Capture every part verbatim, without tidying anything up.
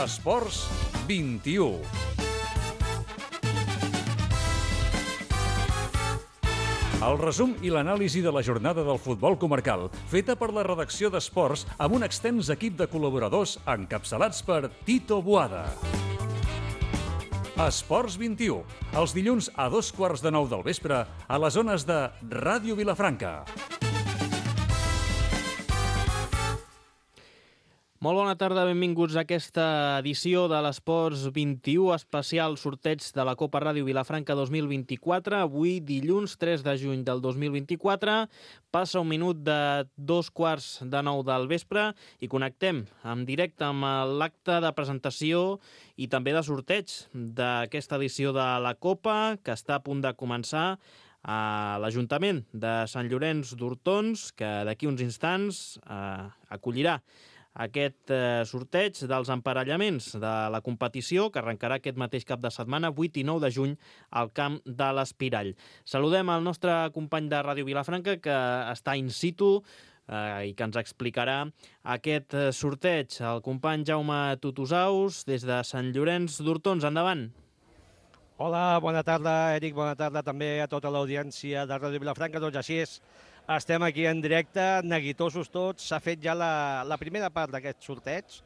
Esports vint-i-u. El resum i l'anàlisi de la jornada del futbol comarcal, feta per la redacció d'Esports amb un extens equip de col·laboradors encapçalats per Tito Boada. Esports vint-i-u, els dilluns a dos quarts de nou del vespre a les zones de Ràdio Vilafranca. Molt bona tarda, benvinguts a aquesta edició de l'Esports vint-i-u, especial sorteig de la Copa Ràdio Vilafranca dos mil vint-i-quatre. Avui, dilluns tres de juny del dos mil vint-i-quatre, passa un minut de dos quarts de nou del vespre i connectem en directe amb l'acte de presentació i també de sorteig d'aquesta edició de la Copa, que està a punt de començar a l'Ajuntament de Sant Llorenç d'Hortons, que d'aquí uns instants eh, acollirà aquest eh, sorteig dels emparellaments de la competició que arrencarà aquest mateix cap de setmana, vuit i nou de juny, al camp de l'Espirall. Saludem el nostre company de Ràdio Vilafranca, que està in situ eh, i que ens explicarà aquest eh, sorteig. El company Jaume Tutusaus, des de Sant Llorenç d'Hortons. Endavant. Hola, bona tarda, Eric, bona tarda també a tota l'audiència de Ràdio Vilafranca. Doncs així és, estem aquí en directe, neguitosos tots. S'ha fet ja la, la primera part d'aquest sorteig.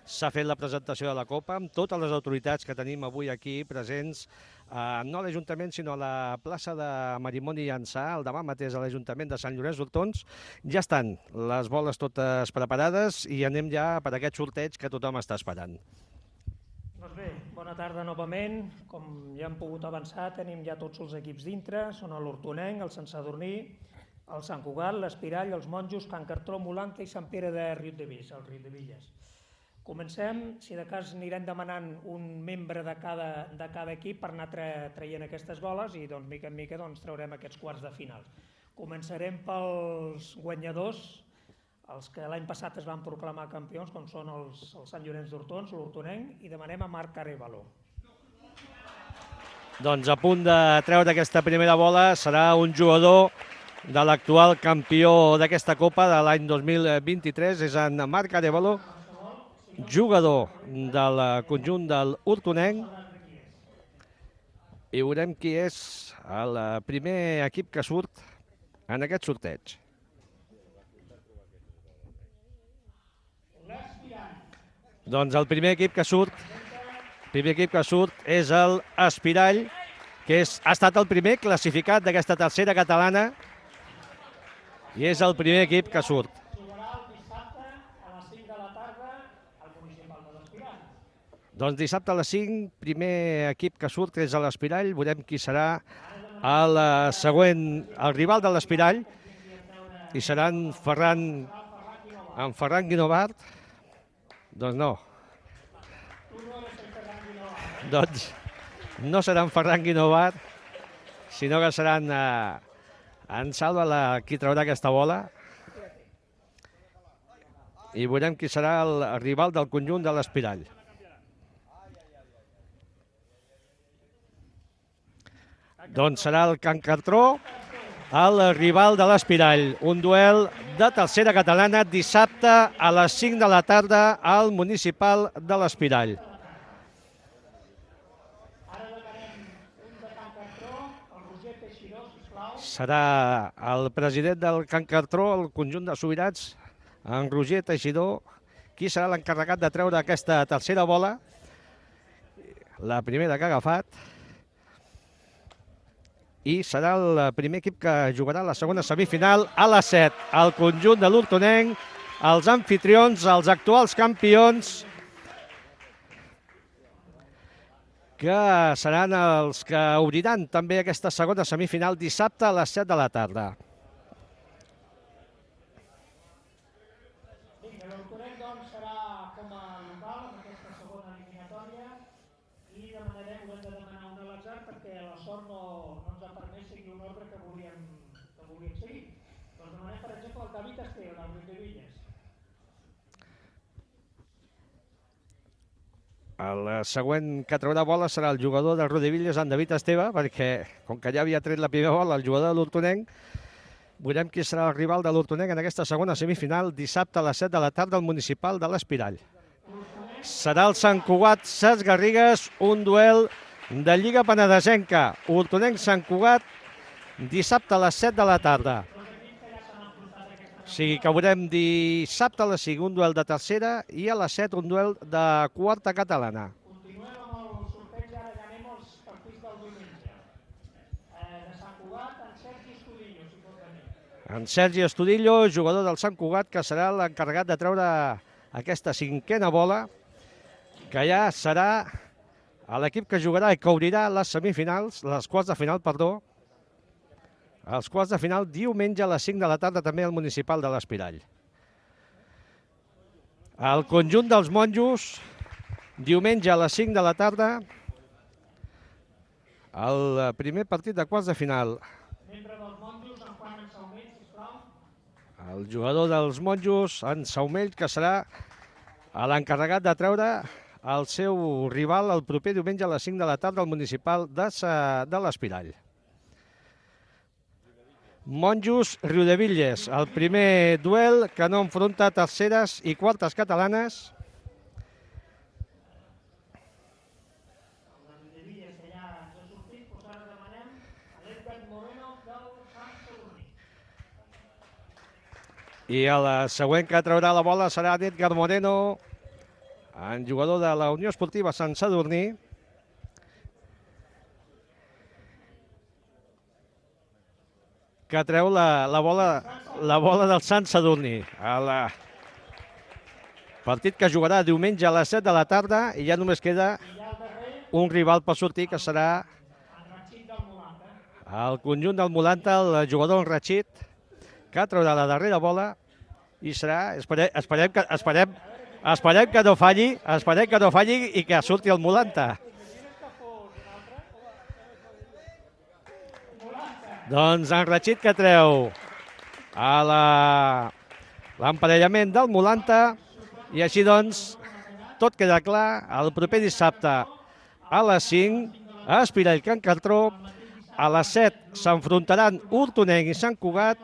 S'ha fet la presentació de la Copa amb totes les autoritats que tenim avui aquí presents, eh, no a l'Ajuntament, sinó a la plaça de Marimoni i Ansà, el demà mateix a l'Ajuntament de Sant Llorenç d'Hortons. Ja estan les boles totes preparades i anem ja per aquest sorteig que tothom està esperant. Doncs bé, bona tarda novament. Com ja hem pogut avançar, tenim ja tots els equips dintre. Són l'Hortonenc, el Sant Sadurní, el Sant Cugat, l'Espirall, els Monjos, Can Cartró, Molanca i Sant Pere de Riudebitlles, el Riudebitlles. Comencem, si de cas anirem demanant un membre de cada, de cada equip per anar tra traient aquestes boles i doncs, mica en mica doncs, traurem aquests quarts de final. Començarem pels guanyadors, els que l'any passat es van proclamar campions, com són els, els Sant Llorenç d'Hortons, l'Hortonenc, i demanem a Marc Arevalo. Doncs a punt de treure aquesta primera bola serà un jugador de l'actual campió d'aquesta Copa de l'any dos mil vint-i-tres, és en Marc Arevalo, jugador del conjunt del Hortonenc, i veurem qui és el primer equip que surt en aquest sorteig. Doncs el primer equip que surt, primer equip que surt és el Espirall, que és, ha estat el primer classificat d'aquesta tercera catalana i és el primer equip que surt. Jugarà el dissabte a les cinc de la tarda al municipal de l'Espirall. Doncs dissabte a les cinc, primer equip que surt és l'Espirall. Veurem qui serà el següent, el rival de l'Espirall, i serà en Ferran, en Ferran Guinovart. Doncs no. Doncs no serà en Ferran Guinovart, sinó que serà en, en Salva la, qui traurà aquesta bola. I veurem qui serà el rival del conjunt de l'Espirall. Doncs serà el Can Cartró, el rival de l'Espirall. Un duel de tercera catalana dissabte a les cinc de la tarda al municipal de l'Espirall. Serà el president del Can Cartró, el conjunt de sobirats, en Roger Teixidor, qui serà l'encarregat de treure aquesta tercera bola, la primera que ha agafat, i serà el primer equip que jugarà la segona semifinal a les set. El conjunt de l'Hortonenc, els anfitrions, els actuals campions, que seran els que obriran també aquesta segona semifinal dissabte a les set de la tarda. L'Hortonenc doncs serà com a local en aquesta segona eliminatòria i demanarem, hem de demanar un a l'atzar perquè la sort no, no ens ha permès seguir un ordre que volíem, que volíem seguir. Doncs demanem, per exemple, el David Esteve, del Riudebitlles. El següent que traurà bola serà el jugador del Riudebitlles, en David Esteve, perquè, com que ja havia tret la primera bola, el jugador de l'Hortonenc, veurem qui serà el rival de l'Hortonenc en aquesta segona semifinal dissabte a les set de la tarda al municipal de l'Espirall. L'Hortonenc serà el Sant Cugat Ses Garrigues, un duel de Lliga Penedesenca. Hortonenc-Sant Cugat, dissabte a les set de la tarda. O sigui que veurem dissabte a les cinc un duel de tercera i a les set un duel de quarta catalana. Continuem amb el sorteig, ara ja anem als partits del diumenge. De Sant Cugat, en Sergi Estudillo, si pot venir. En Sergi Estudillo, jugador del Sant Cugat, que serà l'encarregat de treure aquesta cinquena bola, que ja serà a l'equip que jugarà i que obrirà les semifinals, les quarts de final, perdó, els quarts de final diumenge a les cinc de la tarda també al municipal de l'Espirall. El conjunt dels monjos, diumenge a les cinc de la tarda, el primer partit de quarts de final. Membre dels monjos, en Juan en Saumell, sisplau. El jugador dels monjos, en Saumell, que serà l'encarregat de treure el seu rival el proper diumenge a les cinc de la tarda al municipal de, de l'Espirall. Monjos Riudevilles, el primer duel que no enfronta terceres i quartes catalanes. I el següent que traurà la bola serà Edgar Moreno, en jugador de la Unió Esportiva Sant Sadurní. Que treu la, la, bola, la bola del Sant Sadurní. El partit que jugarà diumenge a les set de la tarda i ja només queda un rival per sortir, que serà el conjunt del Molanta, el jugador Rachid, que traurà la darrera bola i serà, esperem, esperem, que, esperem, esperem que no falli, esperem que no falli i que surti el Molanta. Doncs en Rachid, que treu a l'emparellament del Molanta, i així doncs tot queda clar. El proper dissabte a les cinc a Espirall Can Cartró, a les set s'enfrontaran Hortonenc i Sant Cugat,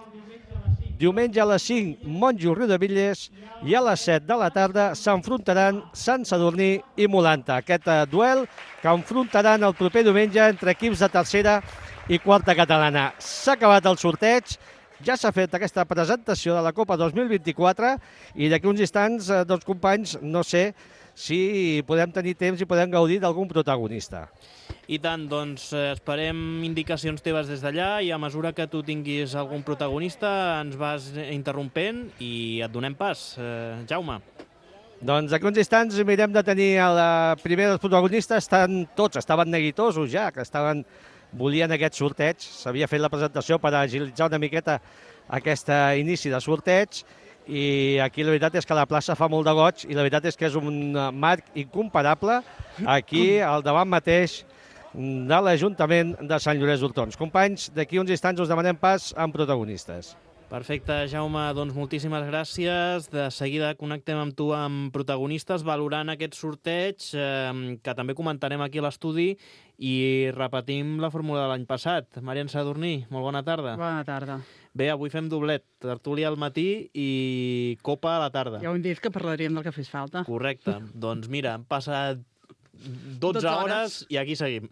diumenge a les cinc Monjos Riudevilles i a les set de la tarda s'enfrontaran Sant Sadurní i Molanta. Aquest duel que enfrontaran el proper diumenge entre equips de tercera i quarta catalana. S'ha acabat el sorteig, ja s'ha fet aquesta presentació de la Copa dos mil vint-i-quatre i d'aquí uns instants, doncs companys, no sé si podem tenir temps i podem gaudir d'algun protagonista. I tant, doncs esperem indicacions teves des d'allà i a mesura que tu tinguis algun protagonista ens vas interrompent i et donem pas. Eh, Jaume. Doncs d'aquí uns instants mirem de tenir el primer dels protagonistes. Estan tots, estaven neguitosos ja, que estaven volien aquest sorteig. S'havia fet la presentació per agilitzar una miqueta aquest inici de sorteig i aquí la veritat és que la plaça fa molt de goig i la veritat és que és un marc incomparable aquí al davant mateix de l'Ajuntament de Sant Llorenç d'Hortons. Companys, d'aquí uns instants us demanem pas amb protagonistes. Perfecte, Jaume, doncs moltíssimes gràcies. De seguida connectem amb tu amb protagonistes valorant aquest sorteig eh, que també comentarem aquí a l'estudi i repetim la fórmula de l'any passat. Marian Sadurní, molt bona tarda. Bona tarda. Bé, avui fem doblet, tertúlia al matí i copa a la tarda. Ja ho hem dit que parlaríem del que fes falta. Correcte. Doncs mira, han passat dotze hores i aquí seguim.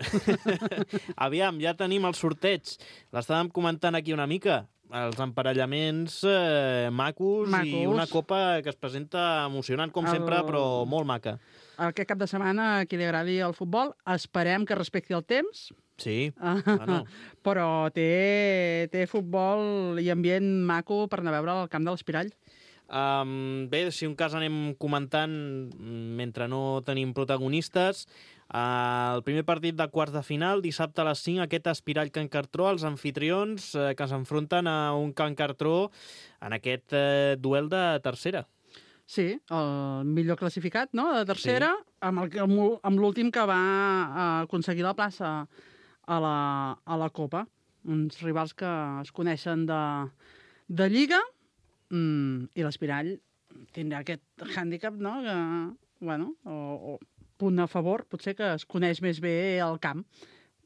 Aviam, ja tenim el sorteig. L'estàvem comentant aquí una mica. Els emparellaments eh, macos, macos i una copa que es presenta emocionant com el... sempre, però molt maca. Aquest cap de setmana, a qui li agradi el futbol, esperem que respecti el temps. Sí, bueno. Però té, té futbol i ambient maco per anar a veure al camp de l'Espirall. Um, bé, si un cas anem comentant mentre no tenim protagonistes. Uh, el primer partit de quarts de final, dissabte a les cinc, aquest Espirall Can Cartró, els anfitrions uh, que s'enfronten a un Can Cartró en aquest uh, duel de tercera. Sí, el millor classificat, no?, de tercera, sí. amb, el, amb l'últim que va aconseguir la plaça a la, a la Copa. Uns rivals que es coneixen de, de Lliga, mm, i l'Espirall tindrà aquest hàndicap, no?, que, bueno, o, o punt a favor, potser que es coneix més bé el camp,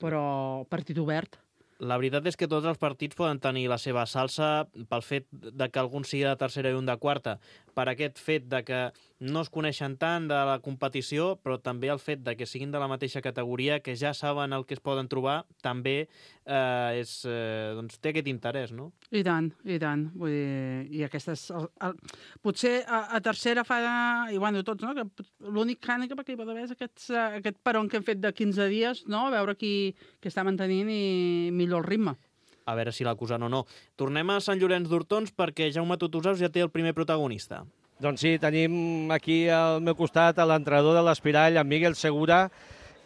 però partit obert. La veritat és que tots els partits poden tenir la seva salsa pel fet de que algun sigui de tercera i un de quarta, per aquest fet de que no es coneixen tant de la competició, però també el fet de que siguin de la mateixa categoria, que ja saben el que es poden trobar, també eh, és, eh, doncs, té aquest interès, no? I tant, i tant. Vull dir, i aquestes... El, el, potser a, a tercera fa... I bueno, tots, no? Que l'únic hàndicap que hi pot haver és aquests, aquest peron que hem fet de quinze dies, no? A veure qui, qui està mantenint i millor el ritme. A veure si l'acusen o no. Tornem a Sant Llorenç d'Hortons perquè Jaume Tutusaus ja té el primer protagonista. Doncs sí, tenim aquí al meu costat l'entrenador de l'Espirall, en Miguel Segura,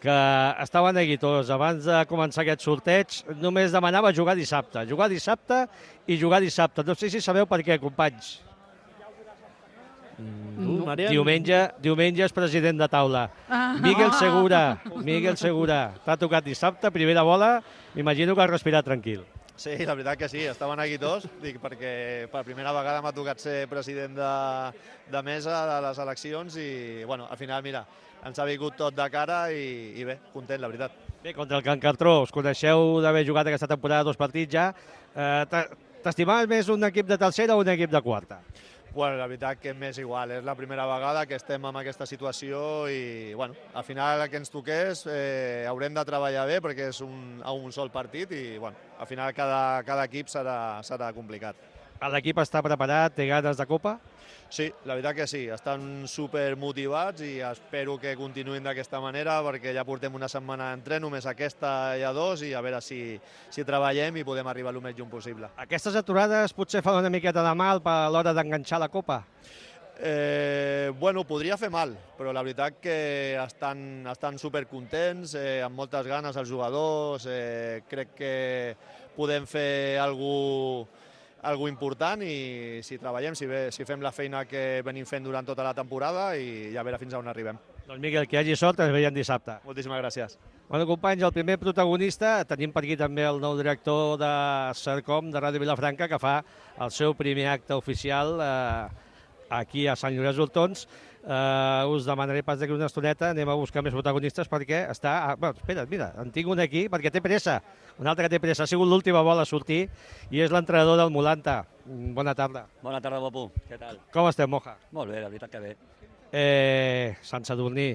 que estava neguitós. Abans de començar aquest sorteig només demanava jugar dissabte. Jugar dissabte i jugar dissabte. No sé si sabeu per què, companys. Mm, no. Diumenge, diumenge és president de taula. Ah. Miguel Segura, Miguel Segura. T'ha tocat dissabte, primera bola. M'imagino que has respirat tranquil. Sí, la veritat que sí, estava neguitós, dic, perquè per primera vegada m'ha tocat ser president de, de mesa de les eleccions i, bueno, al final, mira, ens ha vingut tot de cara i, i bé, content, la veritat. Bé, contra el Can Cartró, us coneixeu d'haver jugat aquesta temporada dos partits ja. Eh, T'estimaves més un equip de tercera o un equip de quarta? Bueno, la veritat que m'és igual, és la primera vegada que estem en aquesta situació i, bueno, al final el que ens toqués eh, haurem de treballar bé perquè és un, a un sol partit i, bueno, al final cada, cada equip serà, serà complicat. L'equip està preparat, té ganes de Copa? Sí, la veritat que sí, estan super motivats i espero que continuïn d'aquesta manera perquè ja portem una setmana d'entreno, només aquesta i a dos, i a veure si, si treballem i podem arribar el més lluny possible. Aquestes aturades potser fan una miqueta de mal a l'hora d'enganxar la Copa? Eh, bueno, podria fer mal, però la veritat que estan, estan supercontents, eh, amb moltes ganes els jugadors, eh, crec que podem fer alguna cosa algo important i si treballem, si, bé, si fem la feina que venim fent durant tota la temporada i ja a veure fins a on arribem. Doncs Miquel, que hi hagi sort, ens veiem dissabte. Moltíssimes gràcies. Bueno, companys, el primer protagonista, tenim per aquí també el nou director de Sercom, de Ràdio Vilafranca, que fa el seu primer acte oficial eh, aquí a Sant Llorenç d'Hortons. Uh, us demanaré pas d'aquí una estoneta, anem a buscar més protagonistes perquè està... Ah, bueno, espera't, mira, en tinc un aquí perquè té pressa, un altre que té pressa, ha sigut l'última bola a sortir i és l'entrenador del Mulanta. Bona tarda. Bona tarda, guapo. Què tal? Com estem, Moja? Molt bé, la veritat que bé. Eh, Sant Sadurní,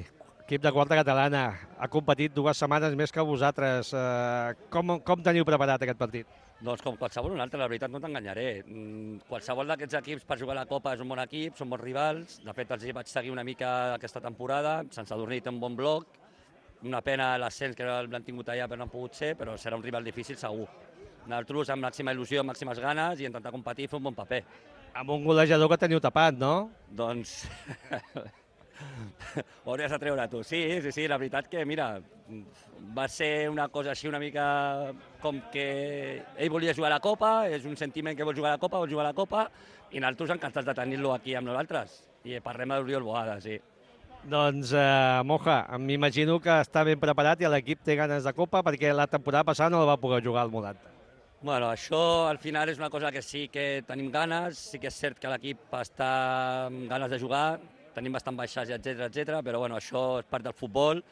equip de quarta catalana, ha competit dues setmanes més que vosaltres. Uh, com, com teniu preparat aquest partit? Doncs com qualsevol un altre, la veritat no t'enganyaré. Qualsevol d'aquests equips per jugar a la Copa és un bon equip, són bons rivals. De fet, els vaig seguir una mica aquesta temporada. Sant Sadurní té un bon bloc. Una pena l'ascens que l'han tingut allà però no han pogut ser, però serà un rival difícil segur. Nosaltres amb màxima il·lusió, amb màximes ganes i intentar competir i fer un bon paper. Amb un golejador que teniu tapat, no? Doncs... ho hauries de treure tu. Sí, sí, sí, la veritat que, mira, va ser una cosa així una mica com que ell volia jugar a la Copa, és un sentiment que vol jugar a la Copa, vol jugar a la Copa, i nosaltres encantats de tenir-lo aquí amb nosaltres. I parlem d'Oriol Boada, sí. Doncs, eh, Moja, m'imagino que està ben preparat i l'equip té ganes de Copa perquè la temporada passada no la va poder jugar al Mulanta. Bueno, això al final és una cosa que sí que tenim ganes, sí que és cert que l'equip està amb ganes de jugar, tenim bastant baixats, etcètera, etcètera, però bueno, això és part del futbol.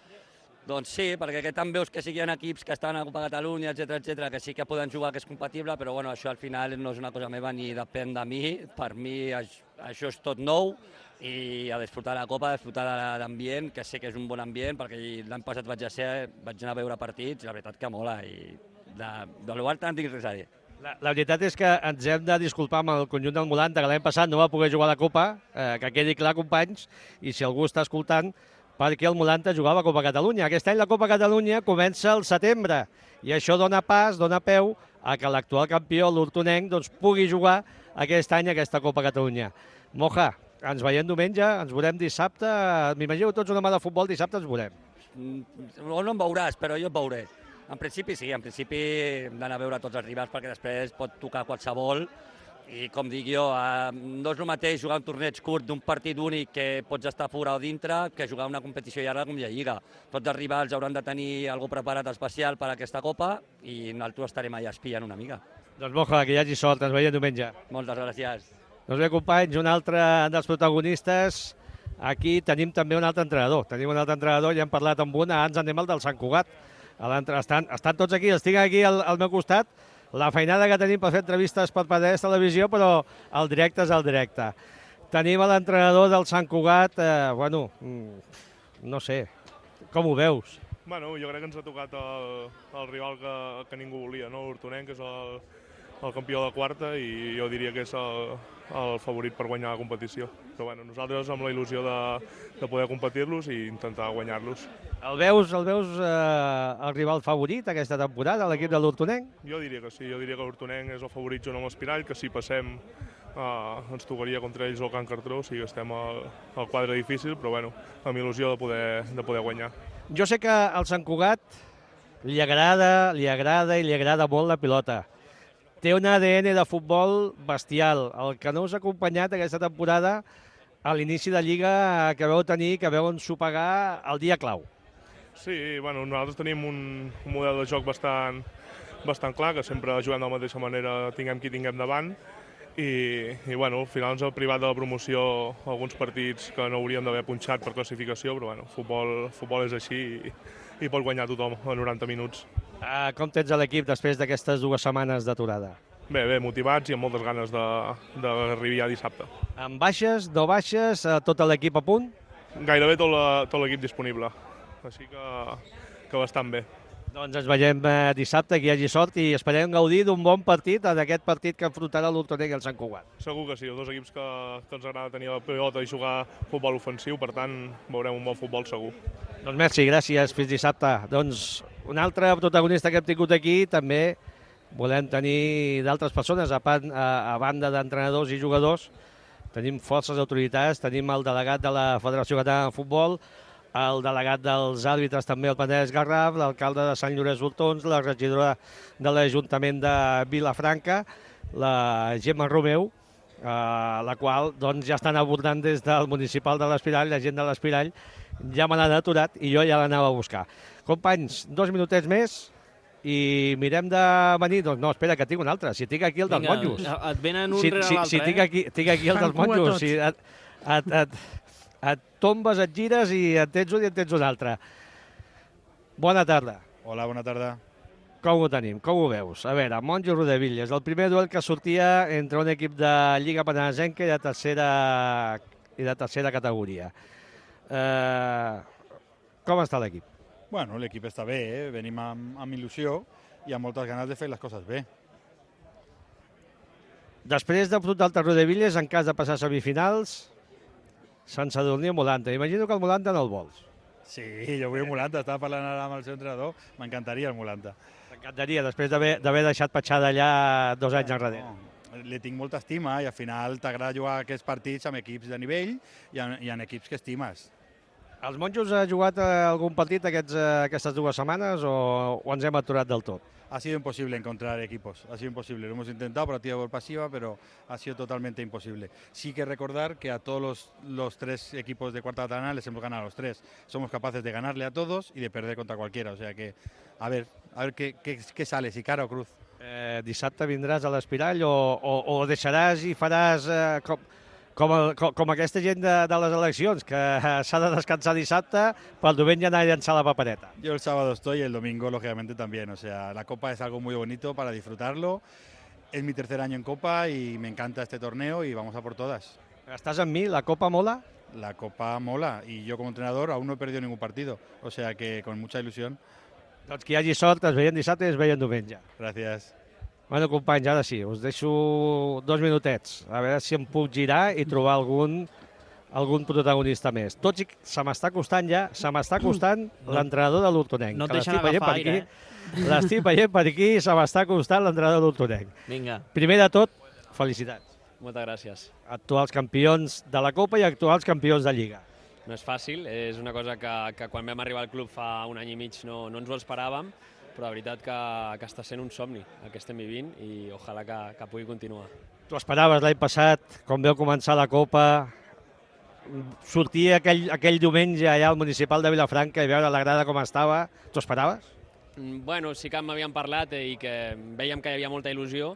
Doncs sí, perquè que tant veus que sí que hi ha equips que estan a Copa Catalunya, etcètera, etcètera, que sí que poden jugar, que és compatible, però bueno, això al final no és una cosa meva ni depèn de mi. Per mi això és tot nou i a disfrutar de la Copa, a disfrutar de l'ambient, que sé que és un bon ambient, perquè l'any passat vaig, a ser, vaig anar a veure partits i la veritat que mola i de, de l'Igualta no tinc res a dir. La, la veritat és que ens hem de disculpar amb el conjunt del Mulanta, que l'any passat no va poder jugar a la Copa, eh, que quedi clar, companys, i si algú està escoltant, perquè el Mulanta jugava a Copa Catalunya. Aquest any la Copa Catalunya comença al setembre, i això dona pas, dona peu a que l'actual campió, l'Hortonenc, doncs, pugui jugar aquest any a aquesta Copa Catalunya. Moja, ens veiem diumenge, ens veurem dissabte, m'imagino tots una mà de futbol, dissabte ens veurem. No em veuràs, però jo et veuré. En principi sí, en principi hem d'anar a veure tots els rivals perquè després pot tocar qualsevol i com dic jo, eh, no és el mateix jugar un torneig curt d'un partit únic que pots estar fora o dintre que jugar una competició llarga com la Lliga. Tots els rivals hauran de tenir alguna preparat especial per a aquesta Copa i nosaltres estarem allà espiant una mica. Doncs Moja, que hi hagi sort, ens veiem diumenge. Moltes gràcies. Doncs bé, companys, un altre dels protagonistes. Aquí tenim també un altre entrenador. Tenim un altre entrenador, ja hem parlat amb un, abans anem al del Sant Cugat. Estan, estan tots aquí, els tinc aquí al, al meu costat. La feinada que tenim per fer entrevistes per P D S Televisió, però el directe és el directe. Tenim a l'entrenador del Sant Cugat, eh, bueno, no sé, com ho veus? Bueno, jo crec que ens ha tocat el, el rival que, que ningú volia, no? L'Hortonenc, que és el, el campió de quarta, i jo diria que és el, el favorit per guanyar la competició. Però bueno, nosaltres amb la il·lusió de, de poder competir-los i intentar guanyar-los. El veus, el veus eh, el rival favorit aquesta temporada, l'equip de l'Hortonenc? Jo diria que sí, jo diria que l'Hortonenc és el favorit junt amb l'Espirall, que si passem eh, ens tocaria contra ells el Can Cartró, o sigui que estem al, al quadre difícil, però bueno, amb il·lusió de poder, de poder guanyar. Jo sé que al Sant Cugat li agrada, li agrada i li agrada molt la pilota. Té un A D N de futbol bestial. El que no us ha acompanyat aquesta temporada a l'inici de Lliga que veu tenir, que veu ensopegar el dia clau. Sí, bueno, nosaltres tenim un, un model de joc bastant, bastant clar, que sempre juguem de la mateixa manera, tinguem qui tinguem davant, i, i bueno, al final ens ha privat de la promoció alguns partits que no hauríem d'haver punxat per classificació, però bueno, futbol, futbol és així i, i pot guanyar tothom a noranta minuts. Uh, com tens l'equip després d'aquestes dues setmanes d'aturada? Bé, bé, motivats i amb moltes ganes d'arribar ja dissabte. Amb baixes, no baixes, tot l'equip a punt? Gairebé tot l'equip disponible, així que, que bastant bé. Doncs ens veiem eh, dissabte, que hi hagi sort, i esperem gaudir d'un bon partit en aquest partit que enfrontarà l'Hortonenc i el Sant Cugat. Segur que sí, els dos equips que, que ens agrada tenir la pilota i jugar futbol ofensiu, per tant veurem un bon futbol segur. Doncs merci, gràcies, fins dissabte. Doncs un altre protagonista que hem tingut aquí, també volem tenir d'altres persones, a, pan, a, a banda d'entrenadors i jugadors. Tenim forces autoritats, tenim el delegat de la Federació Catalana de Futbol, el delegat dels àrbitres també, el Penedès Garraf, l'alcalde de Sant Llorenç d'Hortons, la regidora de l'Ajuntament de Vilafranca, la Gemma Romeu, eh, la qual doncs, ja estan abordant des del municipal de l'Espirall, la gent de l'Espirall ja me l'han aturat i jo ja l'anava a buscar. Companys, dos minutets més i mirem de venir. Doncs no, espera, que tinc un altre. Si tinc aquí el dels Vinga, monjos. et venen un si, rere si, l'altre, si eh? tinc aquí, tinc aquí el dels monjos. Si et, et, et, et tombes, et gires i en tens un i en tens un altre. Bona tarda. Hola, bona tarda. Com ho tenim? Com ho veus? A veure, Monjo Rodevilles, el primer duel que sortia entre un equip de Lliga Penedesenca i de tercera, i de tercera categoria. Eh, com està l'equip? Bueno, l'equip està bé, eh? Venim amb, amb il·lusió i amb moltes ganes de fer les coses bé. Després d'afrontar el Rodevilles, en cas de passar a semifinals, Sant Sadurní o Molanta. Imagino que el Molanta no el vols. Sí, jo vull el Molanta, estava parlant ara amb el seu entrenador, m'encantaria el Molanta. M'encantaria, després d'haver deixat petjada allà dos anys enrere. No, li tinc molta estima i al final t'agrada jugar aquests partits amb equips de nivell i en, i en equips que estimes. Els monjos ha jugat algun partit aquests, aquestes dues setmanes o, o ens hem aturat del tot? Ha sido imposible encontrar equipos, ha sido imposible. Lo hemos intentado por activa y por pasiva, pero ha sido totalmente imposible. Sí que recordar que a todos los, los tres equipos de cuarta catalana les hemos ganado a los tres. Somos capaces de ganarle a todos y de perder contra cualquiera. O sea que, a ver, a ver qué, qué, qué sale, si cara o cruz. Eh, dissabte vindràs a l'Espirall o, o, o deixaràs i faràs eh, com, com, el, com, com aquesta gent de, de les eleccions, que s'ha de descansar dissabte per el diumenge anar a llançar la papereta. Yo el sábado estoy y el domingo, lógicamente, también. O sea, la Copa es algo muy bonito para disfrutarlo. Es mi tercer año en Copa y me encanta este torneo y vamos a por todas. ¿Estás en mí? ¿La Copa mola? La Copa mola y yo como entrenador aún no he perdido ningún partido. O sea que con mucha ilusión. Doncs que hi hagi sort, es veien dissabte i es veien diumenge. Gràcies. Bueno, companys, ara sí, us deixo dos minutets, a veure si em puc girar i trobar algun, algun protagonista més. Tot i que se m'està costant ja, se m'està costant no, l'entrenador de l'Hortonenc. No et deixen agafar aire, eh? L'estic veient per aquí, se m'està costant l'entrenador de l'Hortonenc. Vinga. Primer de tot, felicitats. Moltes gràcies. Actuals campions de la Copa i actuals campions de Lliga. No és fàcil, és una cosa que, que quan vam arribar al club fa un any i mig no, no ens ho esperàvem, però la veritat que, que està sent un somni el que estem vivint i ojalà que, que pugui continuar. Tu esperaves l'any passat, quan veu començar la Copa, sortir aquell, aquell diumenge allà al municipal de Vilafranca i veure la grada com estava, t'ho esperaves? Bueno, sí que m'havien parlat i que vèiem que hi havia molta il·lusió,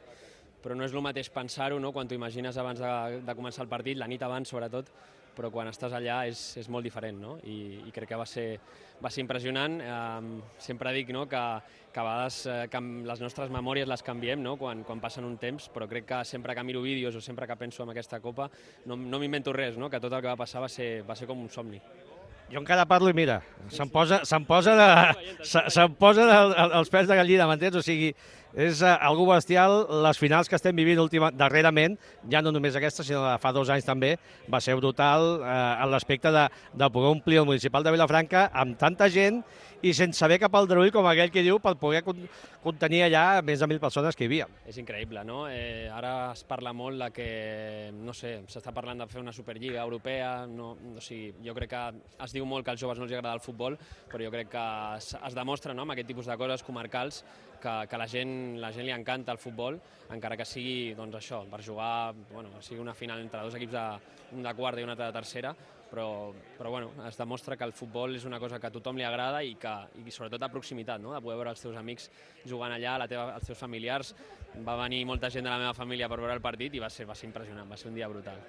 però no és el mateix pensar-ho, no? Quan t'ho imagines abans de, de començar el partit, la nit abans sobretot, però quan estàs allà és, és molt diferent, no? I, i crec que va ser, va ser impressionant. Eh, sempre dic, no?, que, que a vegades eh, que les nostres memòries les canviem, no?, quan, quan passen un temps, però crec que sempre que miro vídeos o sempre que penso en aquesta Copa no, no m'invento res, no?, que tot el que va passar va ser, va ser com un somni. Jo encara parlo i mira, se'm posa, se'm posa, de, se, se'm posa de, els pèls de gallina, m'entens? O sigui, és uh, algo bestial. Les finals que estem vivint última, darrerament, ja no només aquesta, sinó de fa dos anys també, va ser brutal uh, en l'aspecte de, de poder omplir el municipal de Vilafranca amb tanta gent i sense haver cap aldarull, com aquell que diu, per poder contenir allà més de mil persones que hi havia. És increïble, no? Eh, ara es parla molt de que, no sé, s'està parlant de fer una Superliga europea, no, o sigui, jo crec que es diu molt que als joves no els agrada el futbol, però jo crec que es, es demostra, no?, amb aquest tipus de coses comarcals que, que la gent, la gent li encanta el futbol, encara que sigui, doncs això, per jugar, bueno, sigui una final entre dos equips, de, un de quarta i un altre de tercera, però, però bueno, es demostra que el futbol és una cosa que a tothom li agrada i que, i sobretot a proximitat, no?, de poder veure els teus amics jugant allà, la teva, els teus familiars. Va venir molta gent de la meva família per veure el partit i va ser, va ser impressionant, va ser un dia brutal.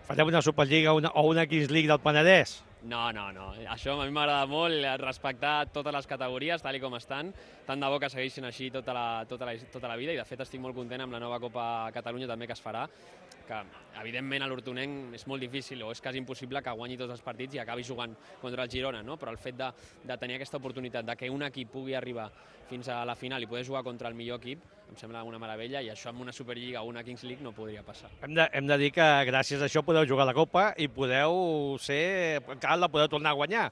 Farem una Superliga una, o una Kings League del Penedès? No, no, no. Això a mi m'agrada molt, respectar totes les categories, tal i com estan. Tant de bo que segueixin així tota la, tota la, tota la vida, i de fet estic molt content amb la nova Copa Catalunya també que es farà, que evidentment a l'Hortonenc és molt difícil o és quasi impossible que guanyi tots els partits i acabi jugant contra el Girona, no? Però el fet de, de tenir aquesta oportunitat de que un equip pugui arribar fins a la final i poder jugar contra el millor equip, em sembla una meravella, i això amb una Superliga o una Kings League no podria passar. Hem de, hem de dir que gràcies a això podeu jugar la Copa i podeu ser... encara la podeu tornar a guanyar.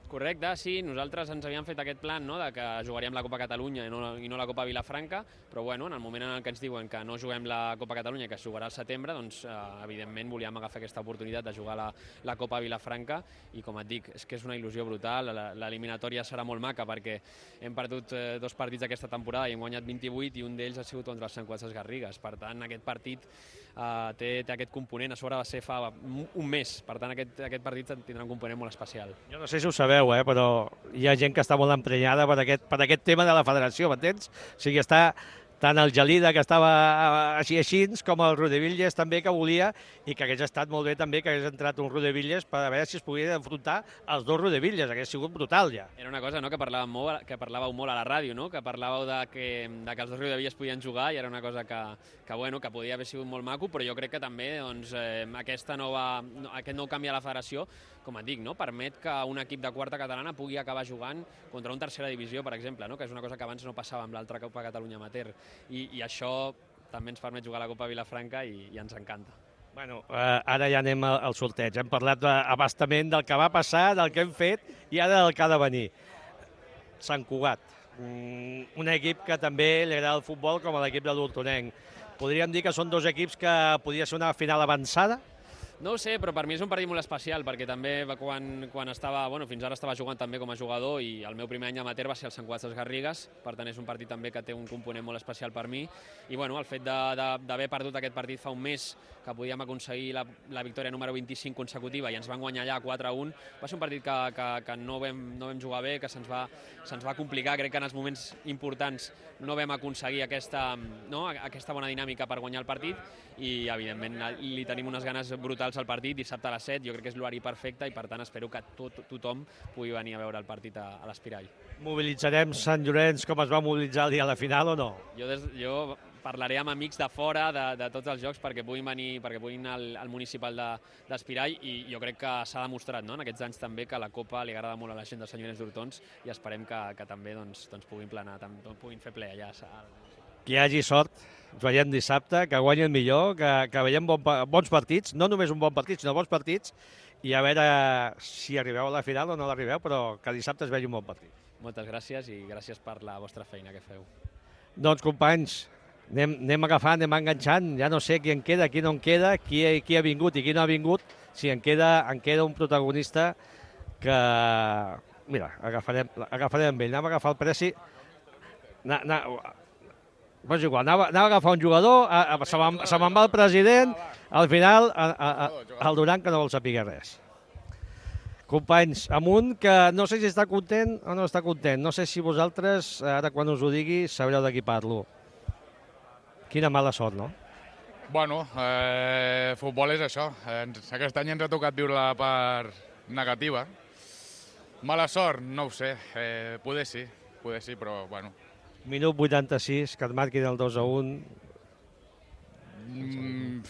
Correcte, sí, nosaltres ens havíem fet aquest plan, no?, de que jugaríem la Copa Catalunya i no, i no la Copa Vilafranca, però bueno, en el moment en què ens diuen que no juguem la Copa Catalunya, que es jugarà al setembre, doncs eh, evidentment volíem agafar aquesta oportunitat de jugar la, la Copa Vilafranca, i com et dic, és que és una il·lusió brutal. L'eliminatòria serà molt maca perquè hem perdut eh, dos partits aquesta temporada i hem guanyat vint-i-vuit, i un d'ells ha sigut contra els Sant Cugat Garrigues. Per tant, aquest partit eh, té, té aquest component, a sobre va ser fa un mes, per tant aquest, aquest partit tindrà un component molt especial. Jo no sé si ho sabeu, eh, però hi ha gent que està molt emprenyada per aquest, per aquest tema de la federació, m'entens? O sigui, està tant el Gelida, que estava així així, com el Rodevilles també, que volia, i que hagués estat molt bé també que hagués entrat un Rodevilles per a veure si es podia enfrontar els dos Rodevilles. Hagués sigut brutal, ja. Era una cosa, no?, que parlàveu molt, que parlàveu molt a la ràdio, no?, que parlàveu de que, de que els dos Rodevilles podien jugar, i era una cosa que, que, bueno, que podia haver sigut molt maco, però jo crec que també doncs, eh, aquesta nova, aquest nou canvi a la federació, com et dic, no?, permet que un equip de quarta catalana pugui acabar jugant contra un tercera divisió, per exemple, no?, que és una cosa que abans no passava amb l'altra Copa Catalunya Amateur. I, i això també ens permet jugar a la Copa Vilafranca i, i ens encanta. Bueno, eh, ara ja anem al, al sorteig. Hem parlat abastament del que va passar, del que hem fet i ara del que ha de venir. Sant Cugat, un equip que també li agrada el futbol com a l'equip de l'Hortonenc. Podríem dir que són dos equips que podria ser una final avançada? No ho sé, però per mi és un partit molt especial, perquè també quan, quan estava, bueno, fins ara estava jugant també com a jugador, i el meu primer any amateur va ser el Sant Cugat Garrigues, per tant és un partit també que té un component molt especial per mi, i bueno, el fet d'haver perdut aquest partit fa un mes, que podíem aconseguir la, la victòria número vint-i-cinc consecutiva i ens van guanyar allà quatre a un, va ser un partit que, que, que no, vam, no vam jugar bé, que se'ns va, se'ns va complicar. Crec que en els moments importants no vam aconseguir aquesta, no, aquesta bona dinàmica per guanyar el partit, i evidentment li tenim unes ganes brutals al partit dissabte a les set. Jo crec que és l'horari perfecte i per tant espero que tot, tothom pugui venir a veure el partit a, a l'Espirall. Mobilitzarem Sant Llorenç com es va mobilitzar el dia de la final o no? Jo, des, jo parlaré amb amics de fora de, de tots els jocs perquè puguin venir, perquè puguin al, al municipal d'Espirall, i jo crec que s'ha demostrat, no?, en aquests anys també, que la Copa li agrada molt a la gent de Sant Llorenç d'Hortons, i esperem que, que també doncs, doncs puguin planar, també, puguin fer ple allà. Que hi hagi sort, ens veiem dissabte, que guanyi el millor, que, que veiem bon, bons partits, no només un bon partit, sinó bons partits, i a veure si arribeu a la final o no l'arribeu, però que dissabte es vegi un bon partit. Moltes gràcies i gràcies per la vostra feina que feu. Doncs, companys, anem, anem agafant, anem enganxant, ja no sé qui en queda, qui no en queda, qui, qui ha vingut i qui no ha vingut, si en queda, en queda un protagonista que, mira, agafarem, agafarem amb ell, anem a agafar el Preci, na, na, pues igual, anava, anava a agafar un jugador, a, a, se me'n se va el president, al final a, a, a, el Duran que no vol saber res. Companys, amunt, que no sé si està content o no està content. No sé si vosaltres, ara quan us ho digui, sabreu de qui parlo. Quina mala sort, no? Bueno, eh, futbol és això. Ens, aquest any ens ha tocat viure la part negativa. Mala sort? No ho sé. Eh, poder sí, poder sí, però bueno. Minut vuitanta-sis, que et marquin el dos a un. Mm,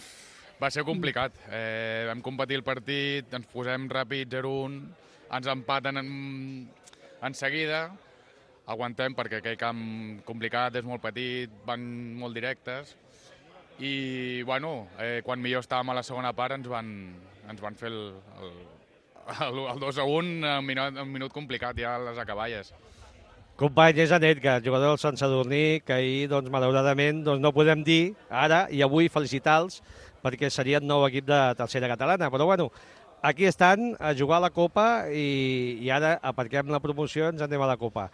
va ser complicat. Eh, vam competir el partit, ens posem ràpid zero a un, ens empaten en, en seguida, aguantem perquè aquell camp complicat, és molt petit, van molt directes, i bueno, eh, quan millor estàvem a la segona part ens van, ens van fer el, el, el, el dos a un, un minut, un minut complicat ja a les acaballes. Company, és en Edgar, jugador del Sant Sadurní, que ahir, doncs, malauradament, doncs, no podem dir ara i avui felicitar-los perquè serien nou equip de tercera catalana. Però, bueno, aquí estan a jugar a la Copa i, i ara aparquem la promoció i ens anem a la Copa.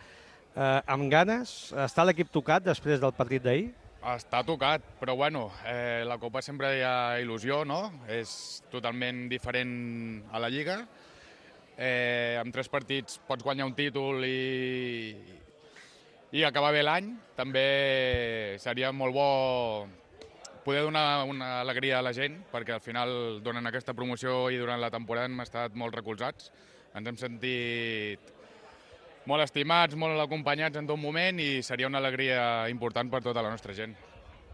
Eh, amb ganes? Està l'equip tocat després del partit d'ahir? Està tocat, però bueno, eh, la Copa sempre hi ha il·lusió, no? És totalment diferent a la Lliga. Eh, amb tres partits pots guanyar un títol i, i acabar bé l'any. També seria molt bo poder donar una alegria a la gent, perquè al final donen aquesta promoció i durant la temporada hem estat molt recolzats. Ens hem sentit molt estimats, molt acompanyats en tot moment i seria una alegria important per tota la nostra gent.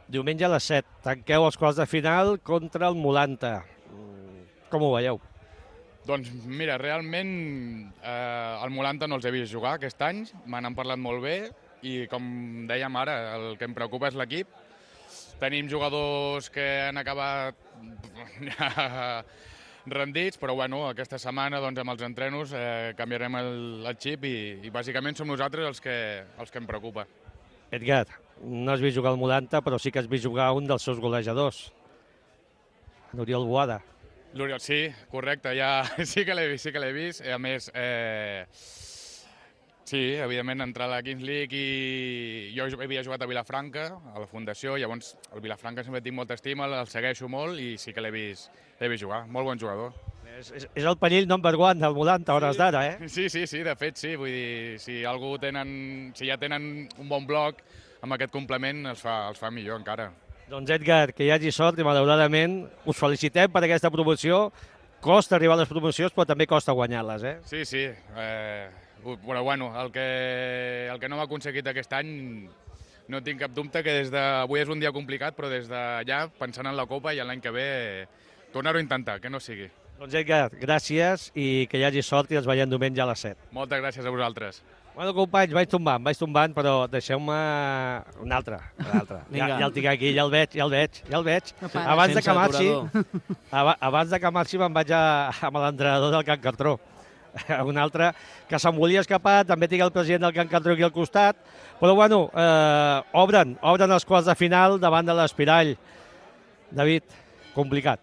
Diumenge a les set, tanqueu els quarts de final contra el Molanta. Com ho veieu? Doncs mira, realment eh, el Molanta no els he vist jugar aquest any, me n'han parlat molt bé i com dèiem ara, el que em preocupa és l'equip. Tenim jugadors que han acabat rendits, però bueno, aquesta setmana doncs, amb els entrenos eh, canviarem el, el xip i, i bàsicament som nosaltres els que, els que em preocupa. Edgar, no has vist jugar al Molanta, però sí que has vist jugar un dels seus golejadors, Oriol Boada. L'Oriol, sí, correcte, ja sí que l'he vist, sí que l'he vist. A més, eh, sí, evidentment, entrar a la Kings League i jo havia jugat a Vilafranca, a la Fundació, llavors el Vilafranca sempre tinc molta estima, el segueixo molt i sí que l'he vist, l'he vist jugar. Molt bon jugador. És, és, és el perill number one del Molanta, a hores d'ara, eh? Sí, sí, sí, de fet, sí. Vull dir, si algú tenen, si ja tenen un bon bloc, amb aquest complement els fa, els fa millor encara. Doncs Edgar, que hi hagi sort i malauradament us felicitem per aquesta promoció. Costa arribar a les promocions, però també costa guanyar-les, eh? Sí, sí. Eh, però bueno, el que, el que no hem aconseguit aquest any, no tinc cap dubte que des de... Avui és un dia complicat, però des d'allà, pensant en la Copa i l'any que ve, tornar-ho a intentar, que no sigui. Doncs Edgar, gràcies i que hi hagi sort i ens veiem diumenge a les set. Moltes gràcies a vosaltres. Bueno, companys, vaig tombant, vaig tombant, però deixeu-me un altre, un altre. Ja, ja el tinc aquí, ja el veig, ja el veig, ja el veig. Abans de que marxi, abans de que marxi me'n vaig a, amb l'entrenador del Can Cartró. Un altre que se'n volia escapar, també tinc el president del Can Cartró aquí al costat, però bueno, eh, obren, obren els quarts de final davant de l'Espirall. David, complicat.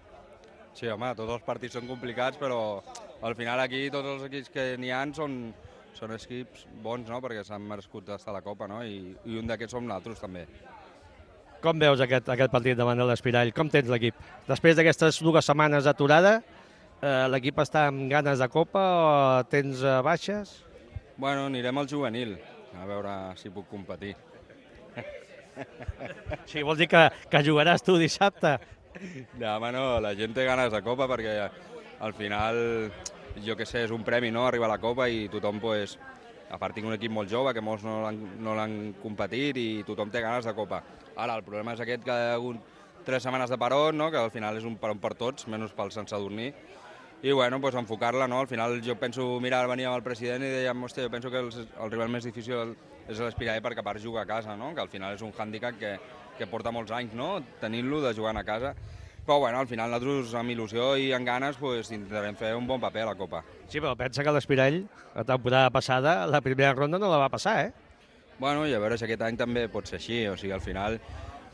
Sí, home, tots els partits són complicats, però al final aquí tots els equips que n'hi ha són... Són equips bons, no?, perquè s'han merescut estar a la Copa, no?, i, i un d'aquests som nosaltres, també. Com veus aquest, aquest partit davant de l'Espirall? Com tens l'equip? Després d'aquestes dues setmanes d'aturada, eh, l'equip està amb ganes de Copa o tens eh, baixes? Bueno, anirem al juvenil, a veure si puc competir. Sí, vol dir que, que jugaràs tu dissabte? No, home, no, la gent té ganes de Copa perquè al final... Jo que sé, és un premi, no?, arribar a la Copa i tothom, pues, a part tinc un equip molt jove que molts no l'han no l'han competit i tothom té ganes de Copa. Ara, el problema és aquest que hi ha hagut tres setmanes de peron, no?, que al final és un peron per tots, menys pel Sant Sadurní. I, bueno, pues, enfocar-la, no?, al final jo penso, mira, veníem al president i dèiem, hòstia, jo penso que el, el rival més difícil és l'Espirall perquè a part juga a casa, no?, que al final és un hàndicap que, que porta molts anys, no?, tenint-lo de jugar a casa. Però bueno, al final nosaltres amb il·lusió i amb ganes pues, intentarem fer un bon paper a la Copa. Sí, però pensa que l'Espirall, la temporada passada, la primera ronda no la va passar, eh? Bueno, i a veure si aquest any també pot ser així, o sigui, al final...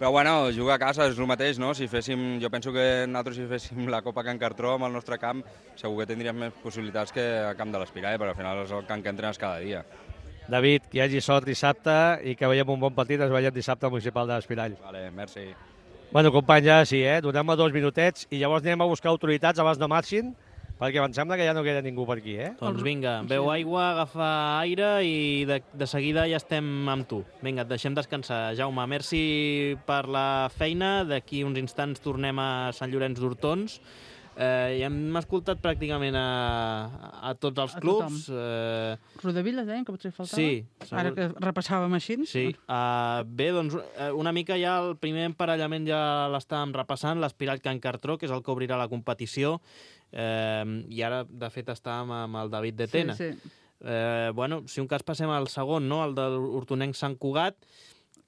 Però bueno, jugar a casa és el mateix, no? Si féssim, jo penso que nosaltres si féssim la Copa Can Cartró amb el nostre camp, segur que tindríem més possibilitats que a camp de l'Espirall, perquè al final és el camp que entrenes cada dia. David, que hi hagi sort dissabte i que veiem un bon partit, ens veiem dissabte al Municipal de l'Espirall. Vale, merci. Bueno, companys, ja sí, eh? Donem-me dos minutets i llavors anem a buscar autoritats abans no marxin perquè em sembla que ja no queda ningú per aquí, eh? Doncs vinga, beu aigua, agafa aire i de, de seguida ja estem amb tu. Vinga, et deixem descansar. Jaume, merci per la feina. D'aquí uns instants tornem a Sant Llorenç d'Hortons. Eh, I hem escoltat pràcticament a, a tots els A clubs. Eh, Rodavilles, deien que potser faltava? Sí. Ara que repassàvem així. Sí. Uh, bé, doncs uh, una mica ja el primer emparellament ja l'estàvem repassant, l'Espirall Can Cartró, que és el que obrirà la competició, eh, i ara, de fet, estàvem amb el David de Tena. Sí, sí. Eh, bueno, si un cas passem al segon, no?, el de l'Hortonenc Sant Cugat.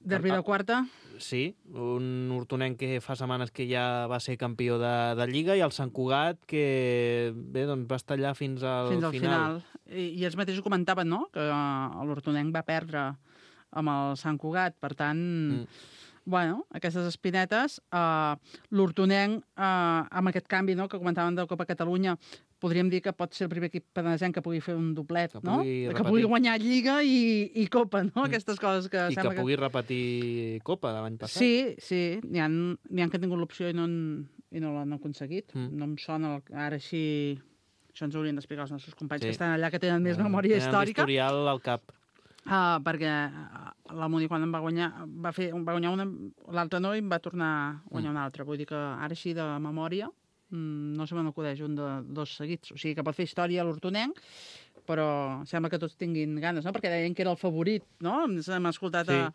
Derbi de quarta. Sí, un hortonenc que fa setmanes que ja va ser campió de, de Lliga, i el Sant Cugat que bé, doncs va estar allà fins al fins al final. final. I, I ells mateixos comentaven, no?, que uh, l'Hortonenc va perdre amb el Sant Cugat, per tant, mm. bueno, aquestes espinetes, uh, l'Hortonenc, uh, amb aquest canvi, no?, que comentaven de Copa Catalunya, podríem dir que pot ser el primer equip penedesenc que pugui fer un doblet, que no? Pugui que repetir. pugui guanyar Lliga i, i Copa, no? Mm. Aquestes coses que... I que pugui que... repetir Copa de l'any passat. Sí, sí. N'hi ha, n'hi ha que han tingut l'opció i no, han, i no l'han aconseguit. Mm. No em sona el, ara així... Això ens haurien d'explicar els nostres companys sí. que estan allà, que tenen més memòria tenen històrica. Tenen historial al cap. Uh, perquè la Muni, quan em va guanyar, va, fer, va guanyar una, l'altre no, i em va tornar a guanyar mm. una altra. Vull dir que ara així de memòria no se me n'acudeix un de dos seguits. O sigui que pot fer història a l'Hortonenc, però sembla que tots tinguin ganes, no? Perquè deien que era el favorit, no? Hem escoltat sí. a,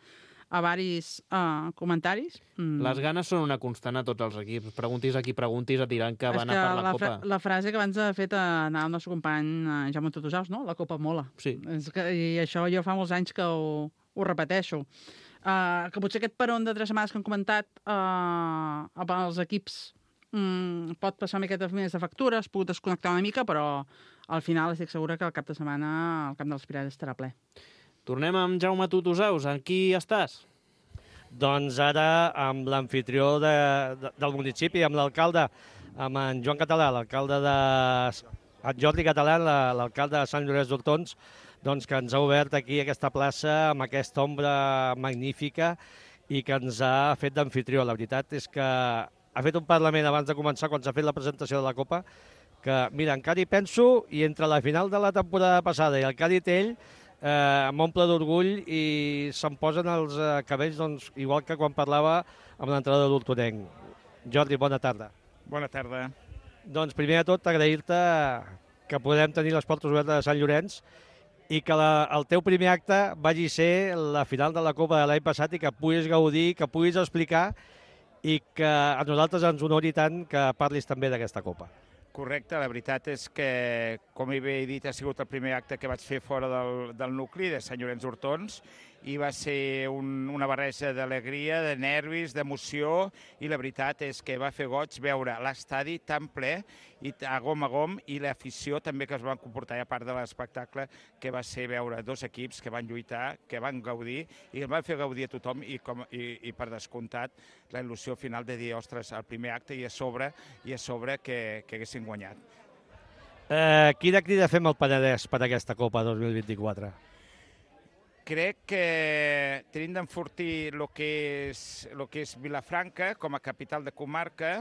a varis uh, comentaris. Mm. Les ganes són una constant a tots els equips. Preguntis a qui preguntis, et diran que van a per la, la Copa. La frase que abans ha fet anar el nostre company Jaume Tutusaus, no? La Copa mola. Sí. És que, I això jo fa molts anys que ho, ho repeteixo. Uh, que potser aquest peron de tres setmanes que han comentat uh, els equips Mm, pot passar una miqueta més de factura, es pot desconnectar una mica, però al final estic segura que el cap de setmana el camp dels Pirats estarà ple. Tornem amb Jaume Tutusaus. Amb qui estàs? Doncs ara amb l'anfitrió de, de, del municipi, amb l'alcalde, amb en Joan Català, l'alcalde de... en Jordi Català, l'alcalde de Sant Llorenç d'Hortons, doncs que ens ha obert aquí aquesta plaça amb aquesta ombra magnífica i que ens ha fet d'anfitrió. La veritat és que ha fet un parlament abans de començar, quan s'ha fet la presentació de la Copa, que, mira, encara hi penso, i entre la final de la temporada passada i el que ha dit ell, eh, m'omple d'orgull i se'm posen els eh, cabells, doncs, igual que quan parlava amb l'entrada d'Hortonenc. Jordi, bona tarda. Bona tarda. Doncs, primer de tot, agrair-te que podem tenir les portes obertes de Sant Llorenç i que la, el teu primer acte vagi ser la final de la Copa de l'any passat i que puguis gaudir, que puguis explicar i que a nosaltres ens honori tant que parlis també d'aquesta Copa. Correcte, la veritat és que, com he dit, ha sigut el primer acte que vaig fer fora del, del nucli de Sant Llorenç d'Hortons i va ser un, una barreja d'alegria, de nervis, d'emoció i la veritat és que va fer goig veure l'estadi tan ple i a gom a gom i l'afició també que es van comportar a part de l'espectacle que va ser veure dos equips que van lluitar, que van gaudir i el van fer gaudir a tothom i, com, i, i per descomptat la il·lusió final de dir, ostres, el primer acte i a sobre, i a sobre que, que haguessin guanyat. Eh, quina crida fem al Penedès per aquesta Copa dos mil vint-i-quatre? Crec que tenim d'enfortir el que és, lo que és Vilafranca com a capital de comarca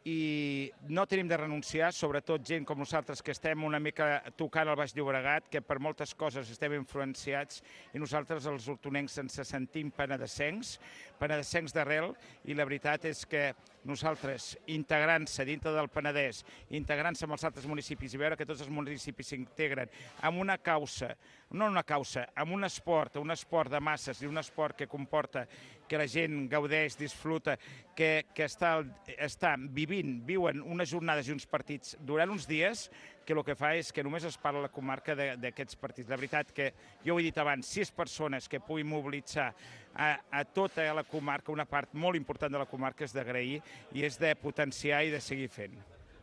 i no tenim de renunciar, sobretot gent com nosaltres que estem una mica tocant el Baix Llobregat, que per moltes coses estem influenciats i nosaltres els hortonencs ens sentim penedesencs, penedesencs d'arrel i la veritat és que nosaltres integrant-se dintre del Penedès, integrant-se amb els altres municipis i veure que tots els municipis s'integren amb una causa, no una causa, amb un esport, un esport de masses i un esport que comporta que la gent gaudeix, disfruta, que, que està, està vivint, viuen unes jornades i uns partits durant uns dies, que el que fa és que només es parla a la comarca d'aquests partits. La veritat que, jo ho he dit abans, sis persones que puguin mobilitzar a, a tota la comarca, una part molt important de la comarca és d'agrair i és de potenciar i de seguir fent.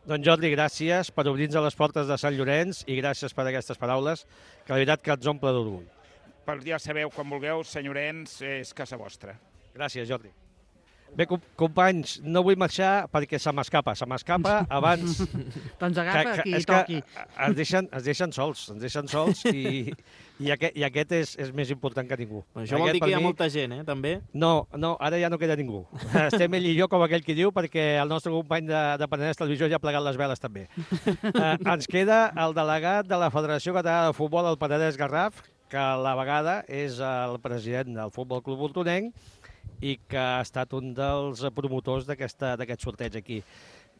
Doncs Jordi, gràcies per obrir-nos les portes de Sant Llorenç i gràcies per aquestes paraules, que la veritat que ens omple d'orgull. Per ja sabeu, quan vulgueu, Sant Llorenç és casa vostra. Gràcies, Jordi. Bé, companys, no vull marxar perquè se m'escapa, se m'escapa abans... doncs agafa que, que, qui toqui. Es deixen, es deixen sols, ens deixen sols i, i, aquest, i aquest és, és més important que ningú. Això vol aquest, dir que hi ha mi, molta gent, eh, també? No, no, ara ja no queda ningú. Estem ell i jo, com aquell qui diu, perquè el nostre company de, de Penedès Televisió ja ha plegat les veles també. Eh, ens queda el delegat de la Federació Catalana de Futbol, el Penedès Garraf, que a la vegada és el president del Futbol Club Hortonenc i que ha estat un dels promotors d'aquest sorteig aquí.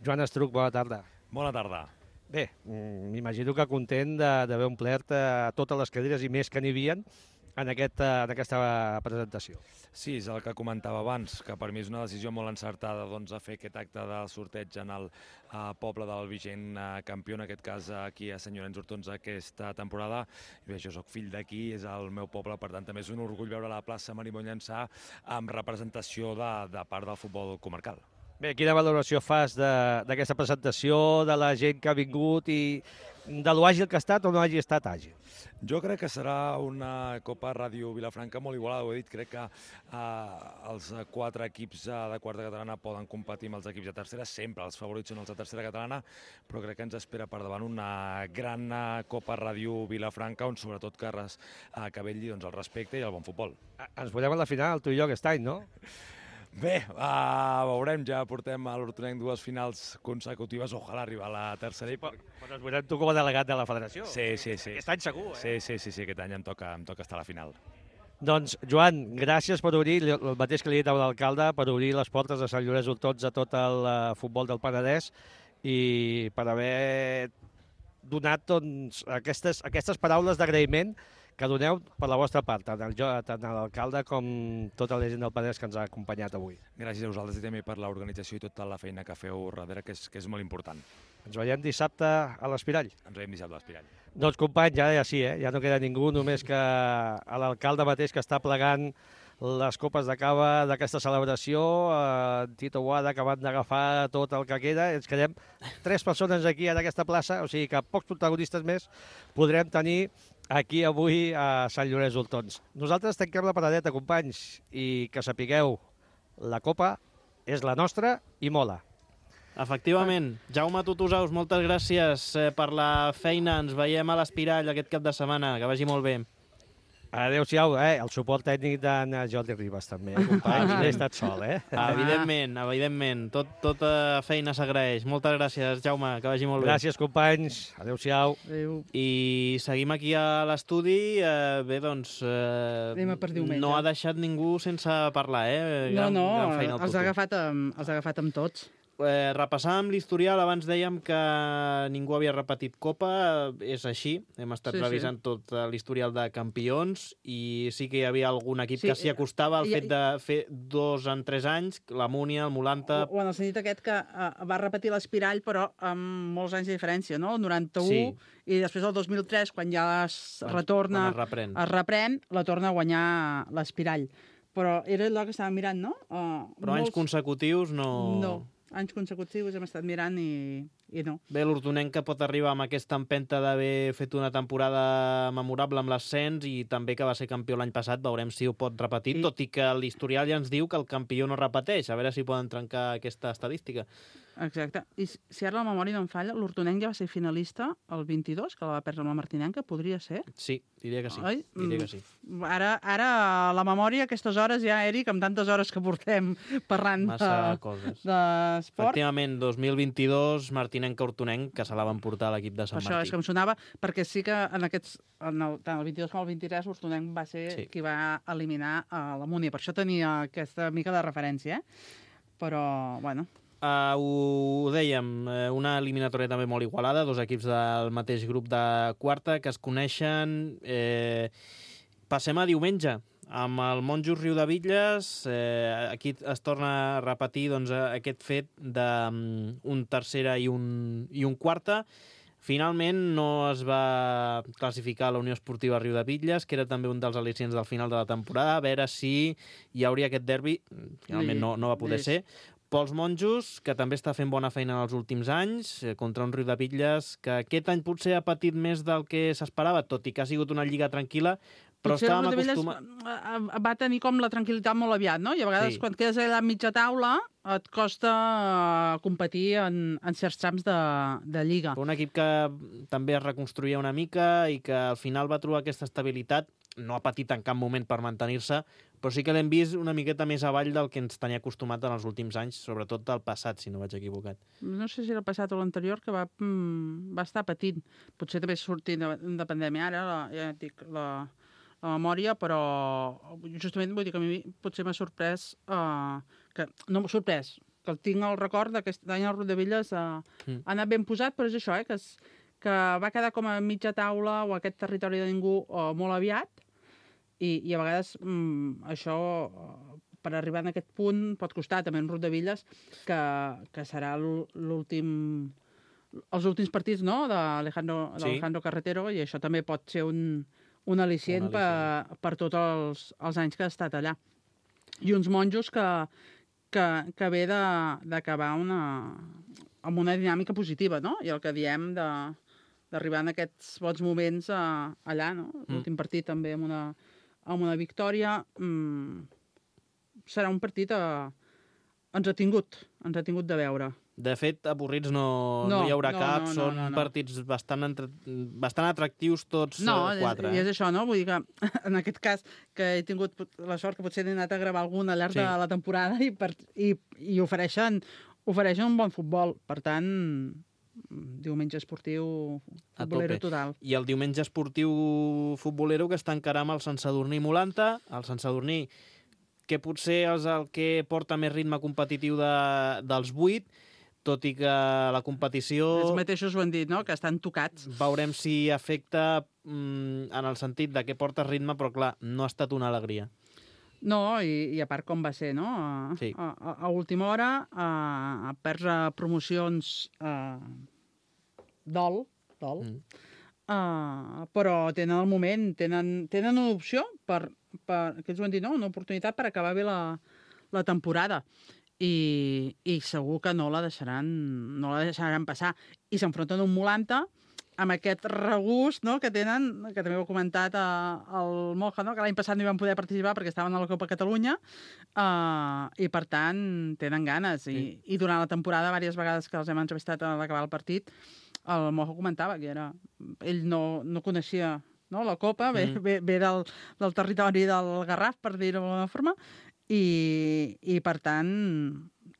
Joan Estruc, bona tarda. Bona tarda. Bé, m'imagino que content d'haver omplert eh, totes les cadires i més que n'hi havia en, aquest, en aquesta presentació. Sí, és el que comentava abans, que per mi és una decisió molt encertada doncs, a fer aquest acte de sorteig en el eh, poble del vigent eh, campió, en aquest cas aquí a Sant Llorenç d'Hortons aquesta temporada. I bé, jo sóc fill d'aquí, és el meu poble, per tant també és un orgull veure la plaça Marimon Llançà amb representació de, de part del futbol comarcal. Bé, quina valoració fas d'aquesta presentació, de la gent que ha vingut i de lo àgil que ha estat o no hagi estat àgil? Jo crec que serà una Copa Ràdio Vilafranca molt igualada, ho he dit, crec que eh, els quatre equips de quarta catalana poden competir amb els equips de tercera, sempre els favorits són els de tercera catalana, però crec que ens espera per davant una gran Copa Ràdio Vilafranca on sobretot que, res, eh, que vetlli doncs, el respecte i el bon futbol. Ens veurem a la final, tu i jo, aquest any, no? Bé, uh, veurem, ja portem a l'Hortonenc dues finals consecutives, ojalà arribar a la tercera. I... Però, però ens veurem tu com a delegat de la federació. Sí, sí, sí. Aquest any segur, eh? Sí, sí, sí, sí, aquest any em toca, em toca estar a la final. Doncs, Joan, gràcies per obrir, el mateix que li he dit a l'alcalde, per obrir les portes de Sant Llorenç d'Hortons a tot el uh, futbol del Penedès i per haver donat doncs, aquestes, aquestes paraules d'agraïment que doneu per la vostra part, tant l'alcalde com tota la gent del Penedès que ens ha acompanyat avui. Gràcies a vosaltres i també per l'organització i tota la feina que feu darrere, que és, que és molt important. Ens veiem dissabte a l'Espirall. Ens veiem dissabte a l'Espirall. Doncs, companys, ja, ja sí, eh? Ja no queda ningú, només que l'alcalde mateix que està plegant les copes de cava d'aquesta celebració, eh, Tito Boada, que van d'agafar tot el que queda. Ens quedem tres persones aquí en aquesta plaça, o sigui que pocs protagonistes més podrem tenir aquí avui a Sant Llorenç d'Hortons. Nosaltres tanquem la paradeta, companys, i que sapigueu, la copa és la nostra i mola. Efectivament. Jaume Tutusaus, moltes gràcies per la feina. Ens veiem a l'Espirall aquest cap de setmana. Que vagi molt bé. Adéu-siau, eh? El suport tècnic d'en Jordi Ribas, també, eh, companys? No he estat sol, eh? Evidentment, evidentment. Tot, tota feina s'agraeix. Moltes gràcies, Jaume, que vagi molt bé. Gràcies, companys. Adéu-siau. Adéu. I seguim aquí a l'estudi. Eh, bé, doncs, eh, Anem a per diumenge. no ha deixat ningú sense parlar, eh? Gran, no, no, gran feina els ha, agafat amb, els ha agafat amb tots. Eh, repassàvem l'historial, abans dèiem que ningú havia repetit Copa, és així, hem estat Sí, revisant sí. tot l'historial de campions i sí que hi havia algun equip Sí, que s'hi acostava al i- fet de fer dos en tres anys, la Múnia, el Molanta... O, o en el sentit aquest que uh, va repetir l'Espirall, però amb molts anys de diferència, no? El noranta-u, Sí. i després el dos mil tres, quan ja es Quan- retorna, quan es reprèn. es reprèn, la torna a guanyar l'Espirall. Però era allò que estàvem mirant, no? Uh, Però anys consecutius no... No, anys consecutius hem estat mirant i, i no. Bé, l'Hortonenc que pot arribar amb aquesta empenta d'haver fet una temporada memorable amb l'ascens i també que va ser campió l'any passat, veurem si ho pot repetir, I- tot i que l'historial ja ens diu que el campió no repeteix, a veure si poden trencar aquesta estadística. Exacte. I si si ara la memòria no em falla, l'Hortonenc ja va ser finalista el vint-i-dos, que la va perdre amb la Martinenca, podria ser? Sí, diria que sí. Oi? Diria que sí. Ara, ara la memòria, aquestes hores ja, Eric, amb tantes hores que portem parlant Massa de, coses. d'esport, Efectivament, dos mil vint-i-dos, Martinenc-Hortonenc, que se la van portar a l'equip de Sant això és Martí. que em sonava, perquè sí que en aquests, en el, tant el vint-i-dos com el vint-i-tres, l'Hortonenc va ser Sí. qui va eliminar a la Múnia. Per això tenia aquesta mica de referència, eh? Però, bueno... Uh, ho dèiem, eh, una eliminatòria també molt igualada, dos equips del mateix grup de quarta que es coneixen. Eh, passem a diumenge, amb el Monjos Riudebitlles. Eh, aquí es torna a repetir doncs, aquest fet d'un um, tercera i un, i un quarta. Finalment no es va classificar la Unió Esportiva Riudebitlles, que era també un dels al·licients del final de la temporada, a veure si hi hauria aquest derbi. Finalment no, no va poder ser, Pels Monjos, que també està fent bona feina en els últims anys, contra un Riudebitlles que aquest any potser ha patit més del que s'esperava, tot i que ha sigut una lliga tranquil·la, però potser estàvem el Riudebitlles acostumats... va tenir com la tranquil·litat molt aviat, no? I a vegades Sí. quan quedes allà a mitja taula et costa competir en, en certs trams de, de lliga. Un equip que també es reconstruïa una mica i que al final va trobar aquesta estabilitat, no ha patit en cap moment per mantenir-se, però sí que l'hem vist una miqueta més avall del que ens tenia acostumat en els últims anys, sobretot del passat, si no vaig equivocat. No sé si era el passat o l'anterior, que va, mm, va estar patint. Potser també sortint de, de pandèmia ara, la, ja et dic, la, la memòria, però justament vull dir que a mi potser m'ha sorprès, uh, que, no m'ha sorprès, que el tinc al record d'aquest any al Riudebitlles uh, mm. ha anat ben posat, però és això, eh, que, es, que va quedar com a mitja taula o aquest territori de ningú uh, molt aviat, i, i a vegades mm, això, uh, per arribar en aquest punt, pot costar també en Riudebitlles, que, que serà l'últim... els últims partits, no?, d'Alejandro Sí. Carretero, i això també pot ser un, un al·licient, Un per, per tots els, els anys que ha estat allà. I uns monjos que, que, que ve d'acabar una, amb una dinàmica positiva, no? I el que diem de d'arribar en aquests bons moments a, allà, no? L'últim mm. partit també amb una, amb una victòria. Mm, serà un partit a, ens ha tingut, ens ha tingut de veure. De fet, avorrits no, no, no hi haurà no, cap, no, no, són no, no. partits bastant, entre... bastant atractius tots no, eh, quatre. No, i eh? és això, no? Vull dir que en aquest cas que he tingut la sort que potser he anat a gravar algun al llarg sí. de la temporada i, per, i, i ofereixen, ofereixen un bon futbol. Per tant, diumenge esportiu futbolero total. I el diumenge esportiu futbolero que està encara amb el Sant Sadurní Molanta, el Sant Sadurní que potser és el que porta més ritme competitiu de, dels vuit, tot i que la competició... Els mateixos ho han dit, no?, que estan tocats. Veurem si afecta mm, en el sentit de que porta ritme, però clar, no ha estat una alegria. No, i, i a part com va ser, no? A, sí. a, a, a última hora, a, a perds a promocions a, dol, dol. Mm. Uh, però tenen el moment, tenen, tenen una opció per, per, que ells ho han dit, no? Una oportunitat per acabar bé la, la temporada. I, i segur que no la deixaran, no la deixaran passar. I s'enfronten un Molanta amb aquest regust, no?, que tenen, que també ho ha comentat uh, el Moja, no?, que l'any passat no hi van poder participar perquè estaven a la Copa Catalunya, uh, i per tant tenen ganes. I, sí. I durant la temporada, diverses vegades que els hem entrevistat a l'acabar el partit, el Moja comentava que era, ell no, no coneixia, no?, la Copa, ve, mm. ve, ve del, del territori del Garraf, per dir-ho d'alguna forma, i, i per tant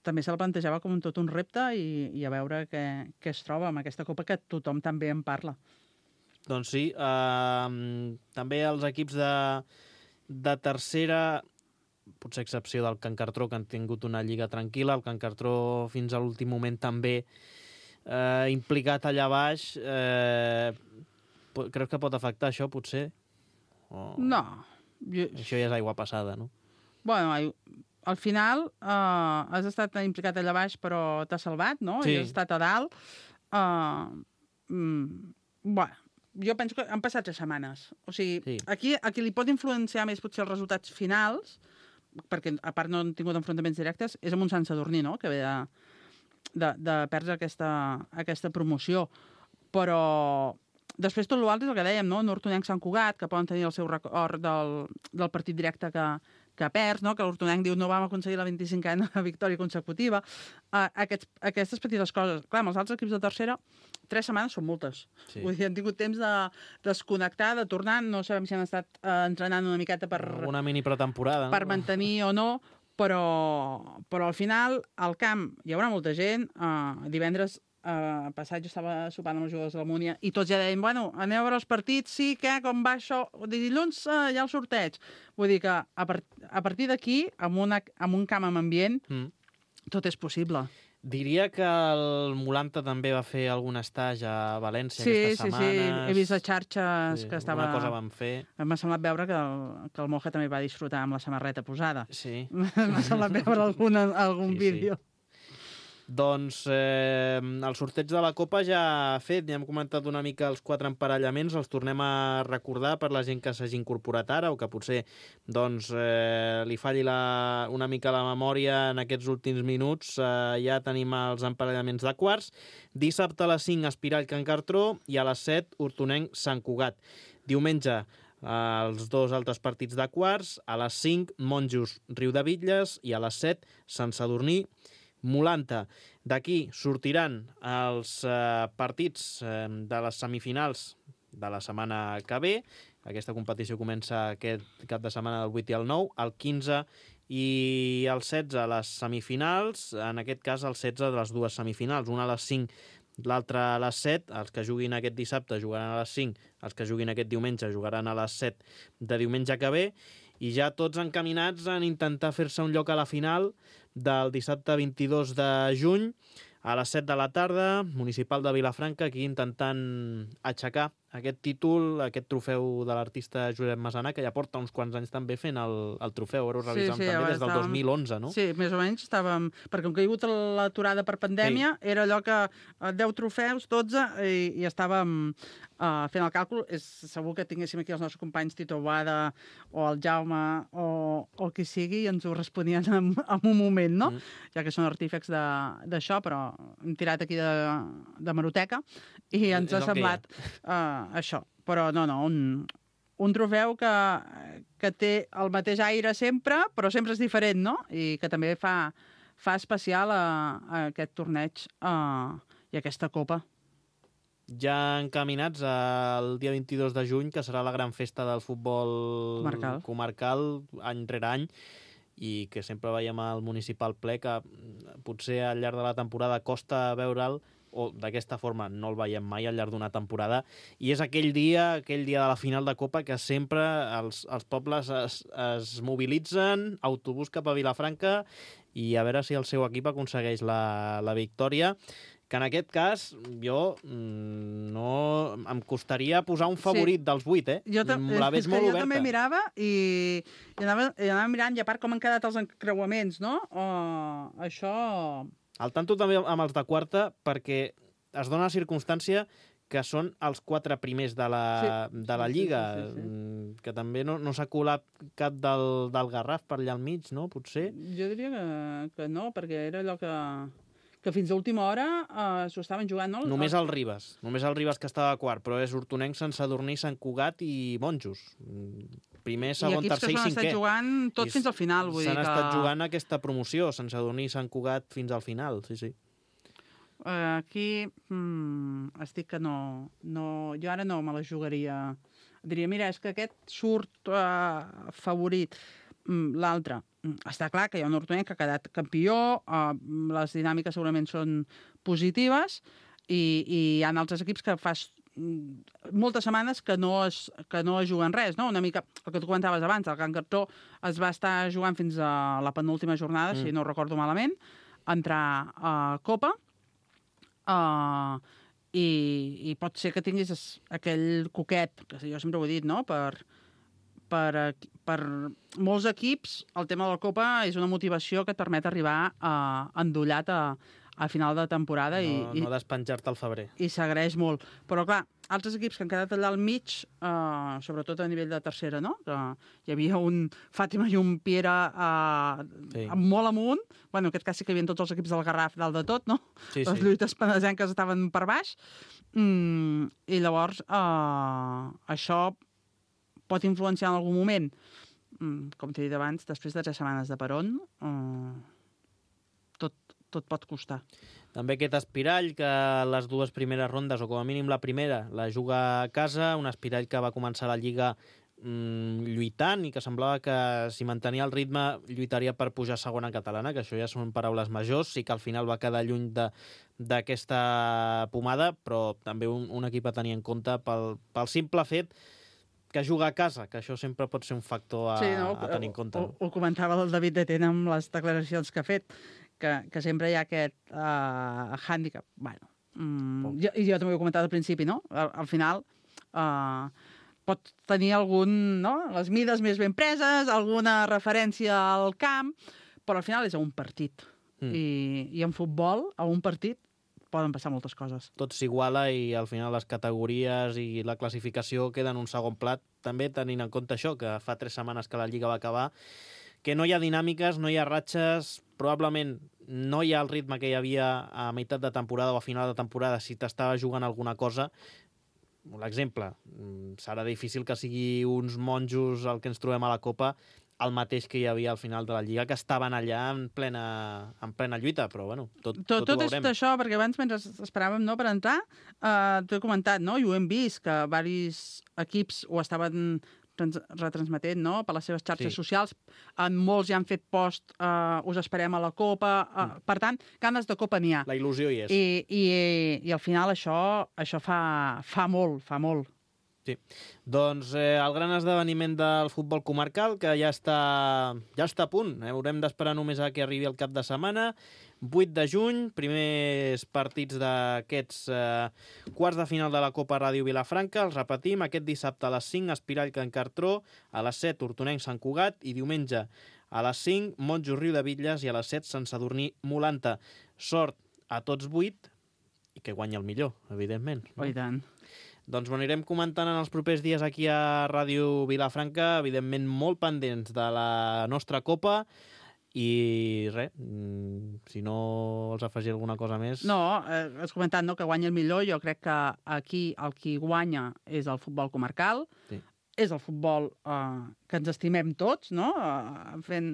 també se la plantejava com un tot un repte i, i a veure què, què es troba amb aquesta Copa que tothom també en parla. Doncs sí, eh, també els equips de, de tercera, potser excepció del Can Cartró, que han tingut una lliga tranquil·la, el Can Cartró fins a l'últim moment també eh, implicat allà baix, eh, creus que pot afectar això, potser? O... No. Jo... Això ja és aigua passada, no? Bueno, al final uh, has estat implicat allà baix però t'has salvat, no? Sí. I has estat a dalt. Uh, mm, bueno, jo penso que han passat tres setmanes. O sigui, sí. aquí, aquí li pot influenciar més potser els resultats finals, perquè a part no han tingut enfrontaments directes, és amb un Sant Sadurní, no?, que ve de, de, de perdre aquesta, aquesta promoció. Però després tot l'altre és el que dèiem, no?, Hortonenc Sant Cugat, que poden tenir el seu record del, del partit directe que, que perds, no?, que l'Hortonenc diu no vam aconseguir la vint-i-cinquena victòria consecutiva. Uh, aquests, aquestes petites coses. Clar, amb els altres equips de tercera, tres setmanes són moltes. Sí. Vull dir, han tingut temps de desconnectar, de tornar, no sabem si han estat uh, entrenant una miqueta per... Una mini pretemporada, no? Per mantenir o no, però, però al final, al camp hi haurà molta gent. Uh, divendres Uh, passat jo estava sopant amb els jugadors de la Múnia i tots ja deien, bueno, aneu a veure els partits, sí, què, com va això? Dilluns uh, hi ha el sorteig. Vull dir que a, part, a partir d'aquí, amb, una, amb un camp amb ambient, mm. tot és possible. Diria que el Molanta també va fer algun estatge a València sí, aquestes sí, setmanes. Sí, sí, he vist a xarxes sí, que estava... Alguna cosa van fer. M'ha semblat veure que el, que el Moja també va disfrutar amb la samarreta posada. Sí. M'ha semblat veure algun, algun sí, vídeo. Sí. Doncs eh, el sorteig de la Copa ja ha fet, ja hem comentat una mica els quatre emparellaments, els tornem a recordar per la gent que s'hagi incorporat ara o que potser doncs, eh, li falli la, una mica la memòria en aquests últims minuts. Eh, ja tenim els emparellaments de quarts. Dissabte a les cinc, Espirall Can Cartró, i a les set, Hortonenc Sant Cugat. Diumenge, els dos altres partits de quarts, a les cinc, Monjos Riu de Bitlles, i a les set, Sant Sadurní Molanta. D'aquí sortiran els eh, partits eh, de les semifinals de la setmana que ve. Aquesta competició comença aquest cap de setmana del vuit i el nou, el quinze i el setze les semifinals, en aquest cas el setze de les dues semifinals, una a les cinc, l'altra a les set. Els que juguin aquest dissabte jugaran a les cinc, els que juguin aquest diumenge jugaran a les set de diumenge que ve, i ja tots encaminats en intentar fer-se un lloc a la final del dissabte vint-i-dos de juny a les set de la tarda, Municipal de Vilafranca, aquí intentant aixecar aquest títol, aquest trofeu de l'artista Josep Masana, que ja porta uns quants anys també fent el, el trofeu, ara ho revisam sí, sí, també des del estàvem... dos mil onze, no? Sí, més o menys estàvem... Perquè com que hi ha hagut l'aturada per pandèmia, sí. Era allò que deu trofeus, dotze, i, i estàvem uh, fent el càlcul. És segur que tinguéssim aquí els nostres companys Tito Boada o el Jaume o, o qui sigui, i ens ho responien en, en un moment, no? Mm. Ja que són artífecs d'això, però hem tirat aquí de, de maroteca i ens ha semblat uh, això. Però no, no, un, un trofeu que, que té el mateix aire sempre, però sempre és diferent, no? I que també fa, fa especial a, a aquest torneig uh, i a aquesta copa. Ja encaminats al dia vint-i-dos de juny, que serà la gran festa del futbol comarcal, comarcal any rere any, i que sempre veiem al municipal ple, que potser al llarg de la temporada costa veure'l, o d'aquesta forma no el veiem mai al llarg d'una temporada, i és aquell dia, aquell dia de la final de Copa, que sempre els, els pobles es, es mobilitzen, autobús cap a Vilafranca, i a veure si el seu equip aconsegueix la, la victòria, que en aquest cas jo no em costaria posar un favorit sí. dels vuit, eh? Jo, la veig molt jo oberta. També mirava i, i, anava, i anava mirant, i a part com han quedat els encreuaments, no? Uh, això... Al tanto també amb els de quarta, perquè es dona la circumstància que són els quatre primers de la, sí. de la Lliga, sí, sí, sí, sí. Que també no, no s'ha colat cap del, del Garraf per allà al mig, no? Potser? Jo diria que, que no, perquè era allò que... que fins a última hora uh, s'ho estaven jugant, no? Només el Ribes, només el Ribes que estava a quart, però és Hortonenc, Sant Sadurní, Sant Cugat i Monjos. Primer, segon, tercer i cinquè. I equips que s'han estat jugant tot I fins al final. S'han estat que... jugant aquesta promoció, Sant Sadurní i Sant Cugat fins al final, sí, sí. Uh, aquí hmm, estic que no, no... Jo ara no me la jugaria. Diria, mira, és que aquest surt uh, favorit. L'altre, està clar que hi ha un Hortonenc que ha quedat campió, uh, les dinàmiques segurament són positives, i, i hi ha altres equips que fa moltes setmanes que no es, que no es juguen res, no? Una mica el que tu comentaves abans, el Can Cartró es va estar jugant fins a la penúltima jornada, mm. si no recordo malament, entrar a Copa, uh, i, i pot ser que tinguis aquell coquet, que jo sempre ho he dit, no?, per... Per, per molts equips, el tema de la Copa és una motivació que et permet arribar a, endollat a, a final de temporada. No, i, no despenjar-te al febrer. I s'agraeix molt. Però, clar, altres equips que han quedat allà al mig, eh, sobretot a nivell de tercera, no? Que hi havia un Fàtima i un Piera eh, sí. molt amunt. Bueno, en aquest cas sí que hi havia tots els equips del Garraf dalt de tot, no? Sí, Les sí. lluites penesenques estaven per baix. Mm, I llavors, eh, això... pot influenciar en algun moment. Com t'he dit abans, després de tres setmanes de peron, eh, tot, tot pot costar. També aquest Espirall, que les dues primeres rondes, o com a mínim la primera, la juga a casa, un Espirall que va començar la Lliga mm, lluitant i que semblava que si mantenia el ritme lluitaria per pujar a segona catalana, que això ja són paraules majors, sí que al final va quedar lluny de d'aquesta pomada, però també un, un equip a tenir en compte pel, pel simple fet que juga a casa, que això sempre pot ser un factor a, sí, no? a tenir en compte. Ho, ho comentava el David de Tena amb les declaracions que ha fet, que, que sempre hi ha aquest uh, hàndicap. Bueno, mm, jo, i jo també ho he comentat al principi, no? Al, al final uh, pot tenir algun, no? Les mides més ben preses, alguna referència al camp, però al final és un partit. Mm. I, I en futbol, a un partit, poden passar moltes coses. Tot s'iguala i al final les categories i la classificació queden en un segon plat, també tenint en compte això, que fa tres setmanes que la Lliga va acabar, que no hi ha dinàmiques, no hi ha ratxes, probablement no hi ha el ritme que hi havia a meitat de temporada o a final de temporada si t'estava jugant alguna cosa. L'exemple, serà difícil que sigui uns monjos el que ens trobem a la Copa el mateix que hi havia al final de la Lliga, que estaven allà en plena, en plena lluita, però bueno, tot, tot, tot, tot ho ho veurem. Tot és això, perquè abans, mentre esperàvem no, per entrar, eh, t'ho he comentat, no? I ho hem vist, que diversos equips ho estaven retransmetent, no?, per les seves xarxes Sí. socials. En molts ja han fet post, eh, us esperem a la Copa. Eh, Mm. Per tant, ganes de Copa n'hi ha. La il·lusió hi és. I, i, i al final això, això fa, fa molt, fa molt. Sí. Doncs eh, el gran esdeveniment del futbol comarcal, que ja està, ja està a punt. Eh? Haurem d'esperar només a que arribi el cap de setmana. vuit de juny, primers partits d'aquests eh, quarts de final de la Copa Ràdio Vilafranca. Els repetim, aquest dissabte a les cinc, Espirall Can Cartró, a les set, Hortonenc Sant Cugat, i diumenge a les cinc, Monjos Riu de Bitlles, i a les set, Sant Sadurní Molanta. Sort a tots vuit, i que guanyi el millor, evidentment. Oh, i tant. Doncs ho anirem comentant en els propers dies aquí a Ràdio Vilafranca, evidentment molt pendents de la nostra Copa, i res, si no vols afegir alguna cosa més... No, eh, has comentat no, que guanya el millor. Jo crec que aquí el qui guanya és el futbol comarcal, sí. És el futbol eh, que ens estimem tots, no? Eh, fent,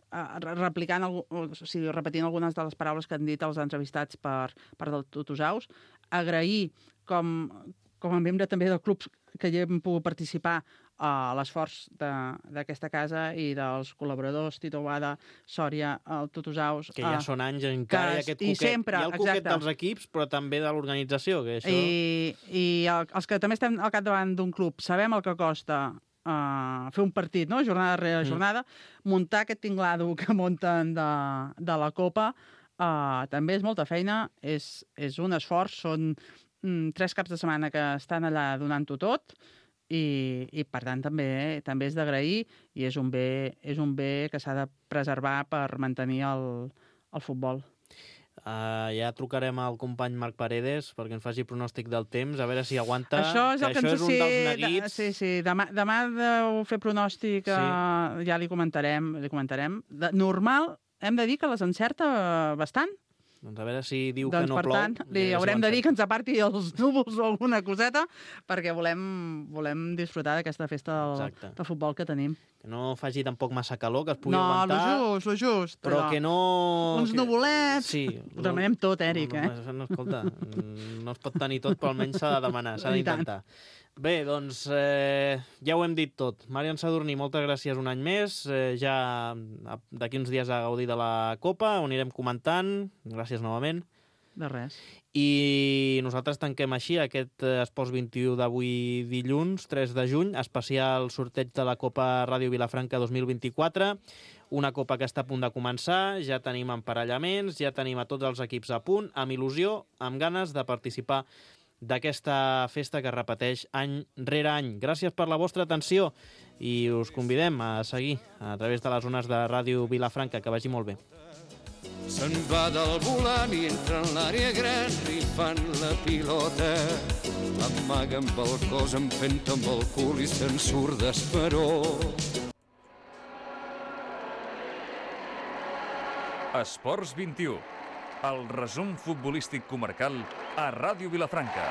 eh, replicant, o sigui, repetint algunes de les paraules que han dit els entrevistats per, per del Tutusaus, agrair com, com a membre també del club que hi hem pogut participar a l'esforç d'aquesta casa i dels col·laboradors, Tito Boada, Sòria, el Tutusaus... Que ja són anys encara, hi ha aquest coquet, sempre, hi ha el coquet exacte. dels equips, però també de l'organització, que això... I, i el, els que també estem al capdavant d'un club sabem el que costa uh, fer un partit, no?, jornada rere jornada, mm. muntar aquest tinglado que munten de, de la Copa uh, també és molta feina, és, és un esforç, són mm, tres caps de setmana que estan allà donant-ho tot, I, i per tant també també és d'agrair i és un bé, és un bé que s'ha de preservar per mantenir el, el futbol. Uh, ja trucarem al company Marc Paredes perquè ens faci pronòstic del temps, a veure si aguanta. Això és, el que, que això és un sí, dels neguits. De, sí, sí, demà, demà deu fer pronòstic, sí. uh, ja li comentarem. Li comentarem. De, normal, hem de dir que les encerta bastant. Doncs a veure si diu doncs, que no per plou. Tant, li haurem de dir que ens aparti els núvols o alguna coseta perquè volem, volem disfrutar d'aquesta festa del, del futbol que tenim. Que no faci tampoc massa calor, que es pugui no, aguantar. No, lo just, lo just. Però, però que no... Uns que... nuvolets. Sí. Ho demanem tot, Èric, no, eh? No, no, escolta, no es pot tenir tot, però almenys s'ha de demanar, s'ha d'intentar. Bé, doncs eh, ja ho hem dit tot. Marian Sadurní, moltes gràcies un any més. Eh, ja d'aquí uns dies a gaudir de la Copa, ho anirem comentant. Gràcies novament. De res. I nosaltres tanquem així aquest Esports vint-i-u d'avui dilluns, tres de juny, especial sorteig de la Copa Ràdio Vilafranca dos mil vint-i-quatre, una Copa que està a punt de començar, ja tenim emparellaments, ja tenim a tots els equips a punt, amb il·lusió, amb ganes de participar d'aquesta festa que es repeteix any rere any. Gràcies per la vostra atenció i us convidem a seguir a través de les zones de Ràdio Vilafranca. Que vagi molt bé. Se'n va del volant i entra en l'àrea gran i fan la pilota. L'amaguen pel cos, empenta amb el cul i se'n surt d'esperó. Esports vint-i-u, el resum futbolístic comarcal a Ràdio Vilafranca.